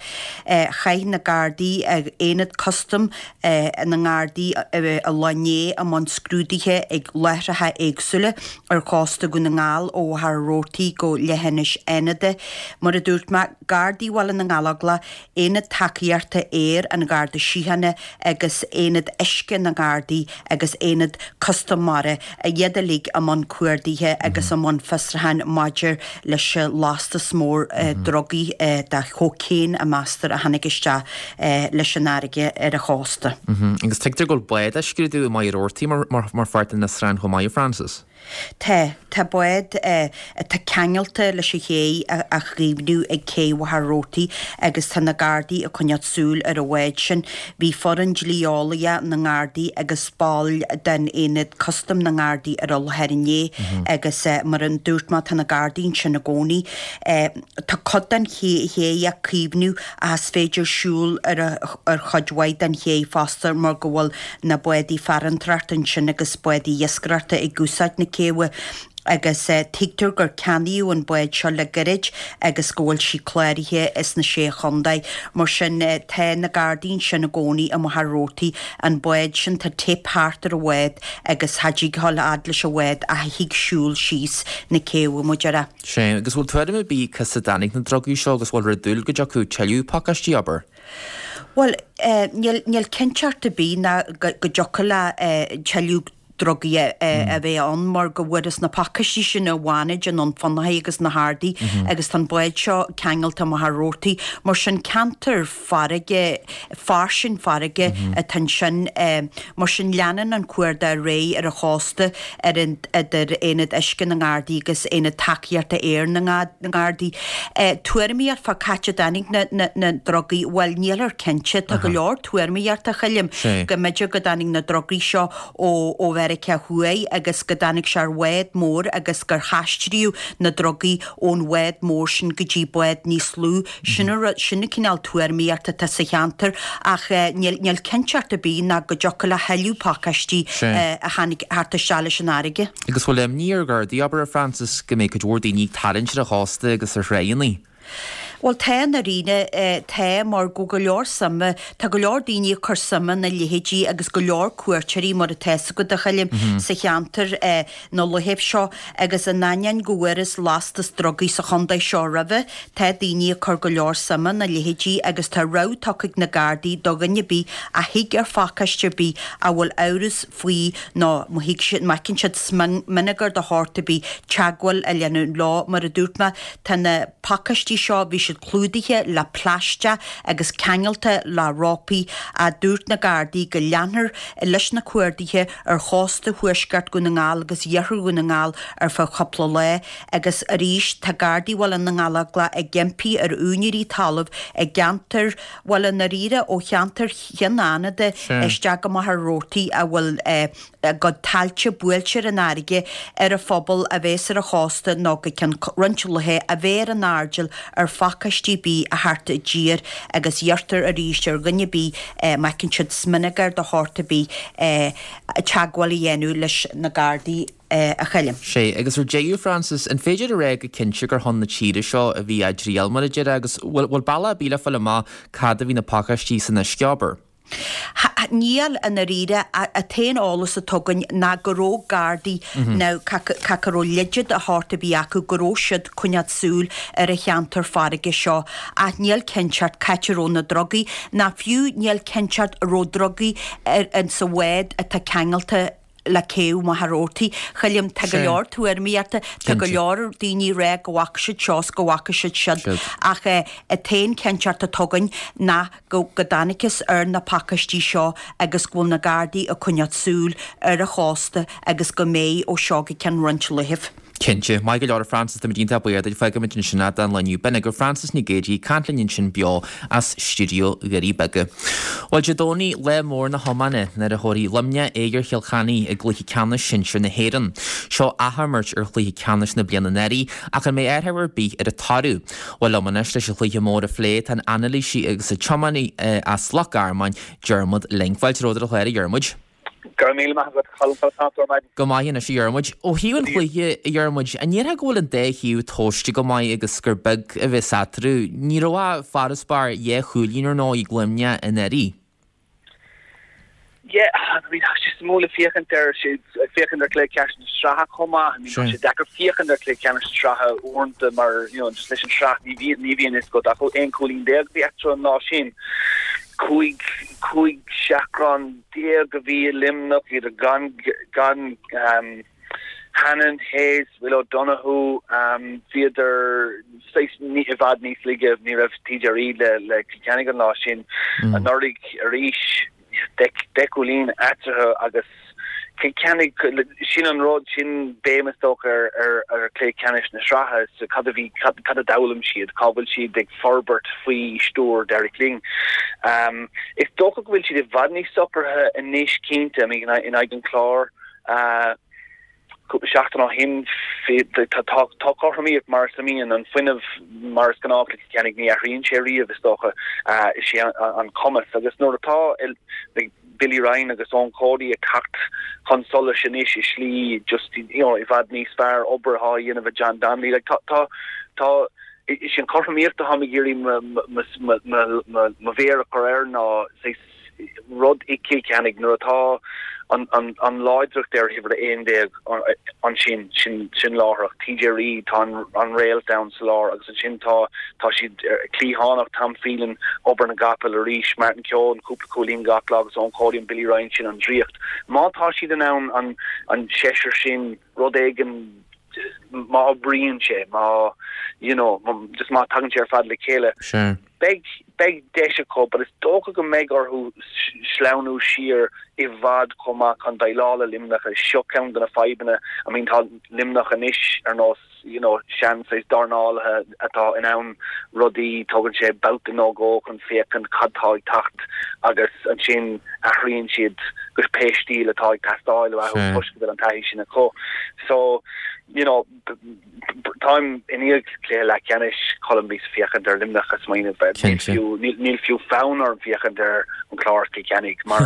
Chuaigh na Gardaí, Aonad Custaim na nGardaí an lá inné i mbun scrúduithe ag láithreacha éagsúla ar chósta Dhún na nGall ó Mhachaire Rabhartaigh go Leithinis Fhánada. Mar a dúirt mé, Gardaí Bhaile na nGallóglach, Aonad Tacaíochta Aeir an Gharda Síochána agus Aonad Uisce na nGardaí agus Aonad Custaim Mara, iad uilig i mbun cuardaithe agus i mbun fiosrúcháin maidir leis an lastas mór drugaí de chócaon a meastar a tháinig isteach leis an fharraige ar an chósta. Agus tuigtear go bhfuil bád á scrúdú i Machaire Rabhartaigh mar pháirt den fhiosrúchán chomh maith, a Frances. Tá. Tá bád atá ceangailte leis an ché á chaomhnú ag cé Mhachaire Rabhartaigh agus tá na Gardaí ag coinneáil súil ar an bhád sin. Bhí foireann dlí-eolaithe na nGardaí agus baill den Aonad Custaim na nGardaí ar an láthair inné agus mar a dúirt mé tá na Gardaí ansin i gcónaí. Tá cuid den ché á caomhnú ach is féidir siúl ar ar chuid mhaith den ché fosta mar go bhfuil na bádaí farantóireachta ansin agus bádaí iascaireachta ag úsáid na céibhe agus tuigtear gur ceannaíodh an bád seo le gairid agus go bhfuil sí cláraithe sna Sé Chontae. Mar sin tá na Gardaí ansin i gcónaí i Machaire Rabhartaigh. An bád sin, tá teip thart ar an bhád agus cha dtig a ghabháil a fhad leis an bhád ach thig siúl síos na céibhe, mar a déarfá. Sea, agus bhfuil tuairim ar bith cá as a dtáinig na drugaí seo agus bhfuilthear ag dúil go dtiocfaidh tuilleadh pacáistí, abair? Bhuel, níl, níl cinnteacht ar bith ná go dtiocfadh le tuilleadh drugaí a bheith ann mar go bhfuarthas na pacáistí sin i bhFánaid, i nDún Fionnachaidh agus na hArdaí agus tá an bád seo ceangailte i Machaire Rabhartaigh. Mar sin ceantar farraige, fairsing farraige atá ansin. Mar sin leanann an cuardach ar aghaidh ar an chósta ar an idir Aonad Uisce na nGardaí agus Aonad Tacaíochta Aeir na nGardaí. Tuairimíocht fá c'áit a dtáinig na drugaí, bhuel nílthear cinnte. Tá go leor tuairimíocht a Choilm go mb'fhéidir go dtáinig na drugaí seo ó ó Mheiriceá Thuaidh agus go dtáinig sé ar bhád mór agus gur haistríodh na drugaí ón bhád mór sin go dtí bád níos lú. Sin an rud, sin an cineál tuairimíocht atá sa cheantar ach níl, níl cinnteacht ar bith ná go dtiocfadh le thuilleadh pacáistí a tháinig thart isteach leis an fharraige. Agus bhfuil imní ar Ghardaí, abair, a Frances, go mbeidh cuid mhór daoine ag tarraingt ar an chósta agus ar thráigheanna? Bhuel tá i ndáiríre, tá mar go go leor suime, tá go leor daoine ag cur suime ina leithéidí agus go leor cuairteoirí mar atá fhios agat a Choilm sa cheantar na laethibh seo agus in ainneoin go bhfuarthas lastas drugaí sa chontae seo roimhe, tá daoine ag cur go leor suime ina leithéidí agus tá rabhadh tugtha ag na Gardaí do dhuine ar bith a thig ar phacáiste ar bith a bhfuil amhras faoi nó má thig siad, má fheiceann siad smionagar de shórt ar bith, teagmháil a dhéanamh leo. Mar a dúirt mé, tá na pacáistí seo, bhí siad clúdaithe le plaisteach agus ceangailte le rópaí ach dúirt na Gardaí go leanfar leis na cuardaithe ar chósta thuaisceart Dhún na nGall agus iarthar Dhún na nGall ar feadh cúpla lá agus arís tá Gardaí Bhaile na nGallóglach ag impí ar úinéirí talaimh i gceantar, bhuel i ndáiríre ó cheantar Chionn Fhánada isteach go Machaire Rabhartaigh a bhfuil a gcuid tailte buailte ar an fharraige ar an phobal a bhéas ar an chósta nó go ceann roinnt laetha a bheith ar an airdeall ar phacáistí ar bith a theacht i dtír agus iarrtar arís ar dhuine ar bith má fheiceann siad smionagar de shórt ar bith teagmháil a dhéanamh leis na Gardaí a Choilm. Sea, agus ar deireadh, Frances, an féidir a rá go cinnte gur chun na tíre seo a bhí á dtriall, mar a déarfá, agus bhfuil bealach ar bith le fáil amach cad a bhí na pacáistí san uisce, abair? Níl, i ndáiríre. An t-aon eolas atá againn ná go raibh Gardaí, nó ca go raibh leide de shórt ar bith acu, go raibh siad coinneáil súil ar an cheantar farraige seo. Ach níl cinnteacht c'áit a raibh na drugaí, ná fiú níl cinnteacht an raibh drugaí ar, in sa bhád atá ceangailte. Le céibh Mhachaire Rabhartaigh. Choilm, tá go leor tuairimíochta, tá go leor daoine ag rá go bhfaca siad seo is go bhfaca siad siud ach an t-aon cinnteacht atá againn ná go go dtángthas ar na pacáistí seo agus go bhfuil na Gardaí ag coinneáil súil ar an chósta agus go mbeidh ó seo go ceann roinnt laethibh. Cinnte. Maith go leor a Frances, táimid iontach buíoch duit. Fágfaimid ansin é don lá inniu. B'in agaibh Frances Nic Géadaigh ag caint linn ansin beo as stiúideo Dhoirí Beaga. Bhuel, Dé Domhnaigh, lá mór na hiomána, nuair a thabharfaidh Luimneach aghaidh ar Chill Chainnigh i gcluiche ceannais sinsir na hÉireann. Seo athimirt ar chluiche ceannais na bliana anuraidh, ach an mbeidh athrú ar bith ar an toradh? Bhuel, liom anois leis an chluiche mór a phlé tá an anailísí agus an tiománaí as Loch Garman, Diarmuid Lyng. Fáilte romhat ar an chlár, a Dhiarmuid. Go raibh míle maith agat, a Cholm, conas tá tú ar maidin? Go maith anois, a Dhiarmuid. Ó thaobh an chluiche, a Dhiarmuid, an ndéarfá go bhfuil an dá thaobh tomhaiste go maith agus gur beag a bheas eatarthu? Ní raibh ach farasbarr dhá chúilín ar ndóigh ag Luimneach anuraidh. Yeah, I mean, tá sé suimiúil ag féachaint ar, ag féachaint ar chluiche ceannais na sraithe chomh maith. I mean, tá sé deacair féachaint ar chluiche ceannais na sraithe uaireanta mar, you know, just leis an tsraith ní bhíonn, ní bhíonn fhios agat ach 11 cúilín a bhí eatarthu an lá sin. 15, 15 seachrán a bhí i Luimneach, bhíodar gan, gan, um, Hannon, Hayes, Will O'Donoghue, bhíodar saghas i bhfad níos laige, ní raibh TJ Reid le le Cill Chainnigh an lá sin. Anuraidh arís, 10 gcúilín eatarthu agus Cill Chainnigh, sin an rud, sin béim is dócha ar ar ar chluiche ceannais na sraithe, so cad a bhí, cad cad a d'fhoghlaim siad, cá bhfuil siad ag forbairt faoi stiúir Derek Lyng. Is dócha go bhfuil siad i bhfad níos socraithe anois cinnte, I mean in aghaidh an Chláir, Cúpla seachtain ó shin, tá cothromaíocht mar is a mbíonn, an fuinneamh mar is gnách le Cill Chainnigh, ní athraíonn sé riamh is dócha, is é an cumas agus nuair atá Billy Ryan agus Eoin Cody ag teacht chun solais anois i slí just you know i bhfad níos fearr, obair atá á dhéanamh ag John Donnelly, like tá tá tá is é an chothromaíocht atáim ag iarraidh mo mhéar a chur air ná saghas rud i gCill Chainnigh nuair atá an láidreacht ar uimhir 11 ansin, sin láithreach. TJ Reid, tá an réalt ann sa lár agus ansin tá tá siad cliathánach, Tom Phelan, obair na gcapall arís, Martin Keoghan, cúpla cúilín gach lá agus Eoin Cody and Billy Ryan, sin an draíocht. Má tá siad in ann an seisear sin rud éigin má oibríonn sé, má you know, just má tagann sé ar fad le chéile. Beidh, beidh deis acu but is dócha go mbeidh orthu sleamhnú siar i bhfad chomh maith chun déileáil le Luimneach agus seo ceann de na fadhbanna, I mean tá Luimneach anois ar nós you know sean saghas dornálaithe atá in ann rudaí, tógann sé babhta nó dhó chun féachaint cad tá ag teacht agus ansin athraíonn siad go pé stíl atá ag teastáil uathu toisc go bhfuil an taithí sin acu. So you know Táim i ndiaidh cluiche leathcheannais Colm bhíos ag féachaint ar Luimneach ag smaoineamh níl fiú níl fiú fonn orm féachaint ar an Chlár is Cill Chainnigh mar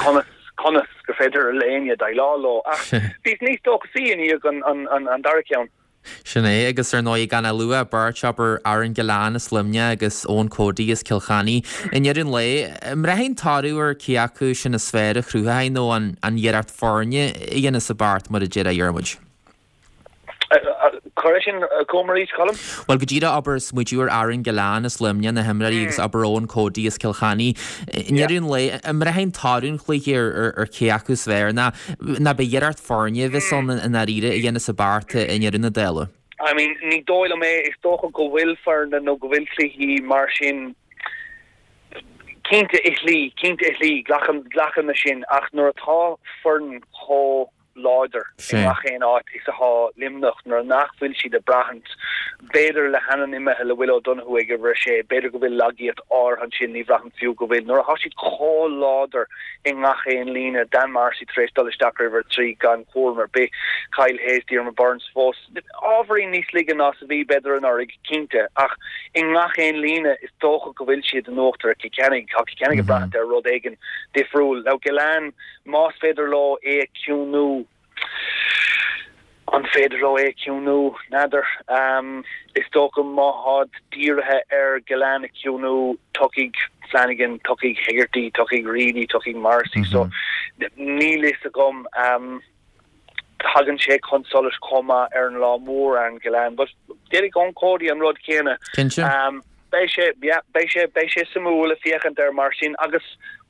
conas conas gur féidir le éinne déileáil leo ach bhíos níos dóchasaí i ndiaidh an an an dara ceann. Sin é, agus ar ndóigh gan a lua beirt, abair, Aaron Gillane as Luimneach agus Eoin Cody as Cill Chainnigh. I ndeireadh an lae, an mbraitheann an toradh ar cé acu sin is fearr a chruthaigh nó an iarracht foirne a dhéanas an beart, mar a déarfá, a Dhiarmuid? Cuir é sin chugam arís, Colm. Bhuel, go díreach, abair, smaoitiú ar Aaron Gillane as Luimneach, na himreoirí, agus abair Eoin Cody as Cill Chainnigh. I ndeireadh an lae, an mbraitheann toradh an chluiche ar cé acu is fearr, nó ab é iarracht foirne a bheas ann i ndáiríre a dhéanas an beart i ndeireadh na dála? I mean, ní dóigh liom é. Is dócha go bhfuil foirne nó go bhfuil cluichí mar sin cinnte i shlí, cinnte i slí, glacaim, glacaim leis sin, ach nuair atá foireann chomh láidir i ngach aon áit is atá Luimneach, nuair nach bhfuil siad ag braithint, b'fhéidir le Hannon imithe, le Will O'Donoghue ag uimhir a sé, b'fhéidir go bhfuil lagaíocht áirithe ansin, ní bhraithim fiú go bhfuil, nuair atá siad chomh láidir i ngach aon líne, Dan Morrissey tar éis dul isteach ar uimhir a 3 gan chúram ar bith, Kyle Hayes, Diarmaid Byrnes fós ábhairín níos laige ná is a bhí, b'fhéidir, anuraidh, cinnte, ach i ngach aon líne is dócha go bhfuil siad in uachtar ar Chill Chainnigh. Tá Cill Chainnigh ag braithint ar rud éigin difriúil. Now Gillane, más féidir leo é a chiúnú, an féidir leo é a chiúnú? N'fheadar. Is dócha má tháid dírithe ar Gillane a chiúnú, tiocfaidh Flanagan, tiocfaidh Hegarty, tiocfaidh Reilly, tiocfaidh Morrissey. So níl fhios agam. Tagann sé chun solais chomh maith ar an lá mór, Aaron Gillane, but déanfaidh Eoin Cody an rud céanna. Cinnte. Beidh sé, yeah, beidh sé, beidh sé suimiúil ag féachaint air mar sin agus.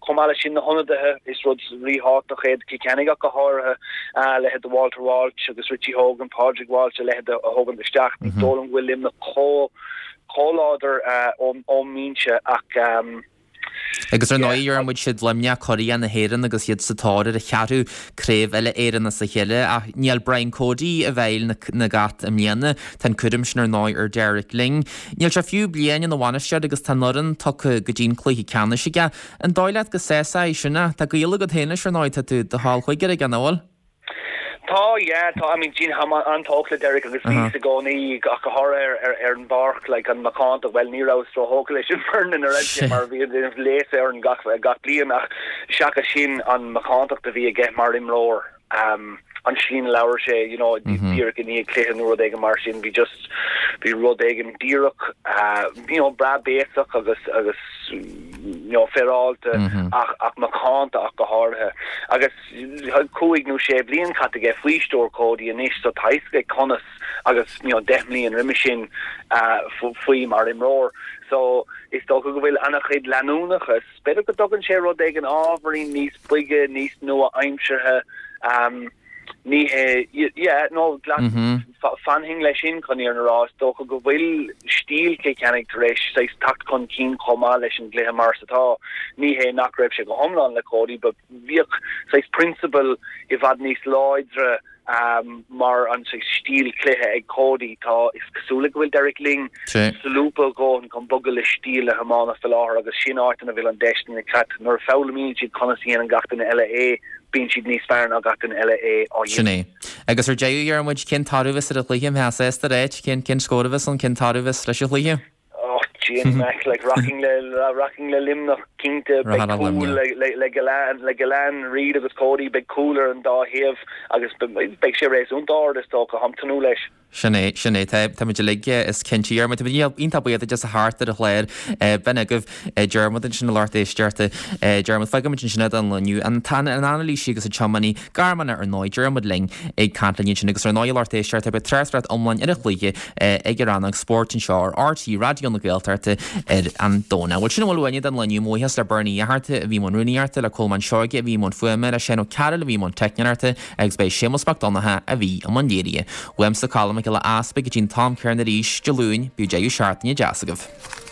Chomh maith leis sin, na hionadaithe, is rud ríthábhachtach é do Chill Chainnigh ach go háirithe, a leithéid de Walter Walsh agus Richie Hogan, Pádraig Walsh, a leithéid a thógaint isteach. Ní dóigh liom go bhfuil Luimneach chomh láidir ón mbinse ach Agus ar ndóigh, a Dhiarmuid, siad Luimneach curaidh na hÉireann agus iad sa tóir ar a cheathrú craobh uile Éireann as a chéile. Ach níl Brian Cody i bhfeighil na gCat i mbliana. Tá an cúram sin ar ndóigh ar Derek Lyng. Níl sé fiú bliain ina bhainisteoir agus tá an fhoireann tugtha go dtí an cluiche ceannais aige. An dóigh leat go sásóidh é sin é? Tá gaol agat féin leis ar ndóigh, tá tú do chol cúigir aige, nach bhfuil? Tá, yeah, tá, I mean, táim an-tógtha le Derek agus bhíos i gcónaí ach go háirithe ar, ar an bpáirc, like, an macántacht, bhuel, ní rabhas róthógtha leis an bhfoireann ina raibh sé mar bhí ag déanamh léasadh orainn gach, gach bliain ach seachas sin an macántacht a bhí aige mar imreoir, um, an tslí ina labhair sé, you know, díreach i ndiaidh cluiche nó rud éigin mar sin, bhí just, bhí rud éigin díreach, uh, you know, breá béasach agus, agus, you know, féaráilte ach, ach macánta ach go háirithe. Agus 5 nó 6 bliain caite aige faoi stiúir Cody anois so tá a fhios aige conas agus, you know, 10 mbliain roimhe sin, uh, faoi mar imreoir. So, is dócha go bhfuil an-chuid leanúnachas B'fhéidir go dtugann sé rud éigin ábhairín níos boige, níos nua-aimseartha. Ní hé, yeah, no, fanfainn leis sin chun an fhírinne a rá. Is dócha go bhfuil stíl Chill Chainnigh tar éis saghas teacht chun cinn chomh maith leis an gcluiche mar is atá. Ní hé nach raibh sé go hiomlán le Cody but bhíodh saghas prionsabail i bhfad níos láidre mar an stíl cluiche ag Cody. Tá, is cosúil go bhfuil Derek Lyng solúbtha a dhóthain chun bogadh le stíl na hiomána faoi láthair agus sin áit ina bhfuil an deis do na Cait. Nuair a foghlaimíonn siad conas a dhéanann gach duine eile é, bíonn siad níos fearr ná gach duine eile é á dhéanamh. Sin é. Agus ar deireadh, a Dhiarmuid, cén toradh a bheas ar an chluiche? An mbeifeá sásta a ráit cén, cén scór a bheas ann, cén toradh a bheas leis an chluiche? Oh, Jim Mac, like rachainn le rachainn le Luimneach cinnte, beidh cúl le le le Gillane, le Gillane, Reid agus Cody, beidh cúl ar an dá thaobh agus beidh sé réasúnta ard is dócha, táim ag tnúth leis. Sin é, sin é, tá, tá muid uilig, is cinnte. Diarmuid, tá muid iontach buíoch duit as a theacht ar an chlár. B'in agaibh Diarmuid ansin a lucht éisteachta. Diarmuid, fágfaimid ansin é don lá inniu. An t-an anailísí agus an tiománaí gairmeach ar ndóigh, Diarmuid Lyng ag caint linn ansin agus ar ndóigh a lucht éisteachta beidh tráchtaireacht iomlán ar an chluiche ag an rannóg spóirt anseo ar RTÉ Raidió na Gaeltachta ar an Domhnach. Bhuel sin a bhfuil uainne don lá inniu. Mo bhuíochas le Bernie Ó Fatharta a bhí i mbun rúnaíochta, le Colmán Seoige a bhí i mbun fuaime, le Seán Ó Cearúil a bhí i mbun teicneoireachta agus b'é Séamus Mac Donncha a bhí i mbun léirithe. Uaimse Colm Mac Giolla Easpaig go dtí an t-am céanna arís Dé Luain, bíodh deireadh seachtaine deas agaibh.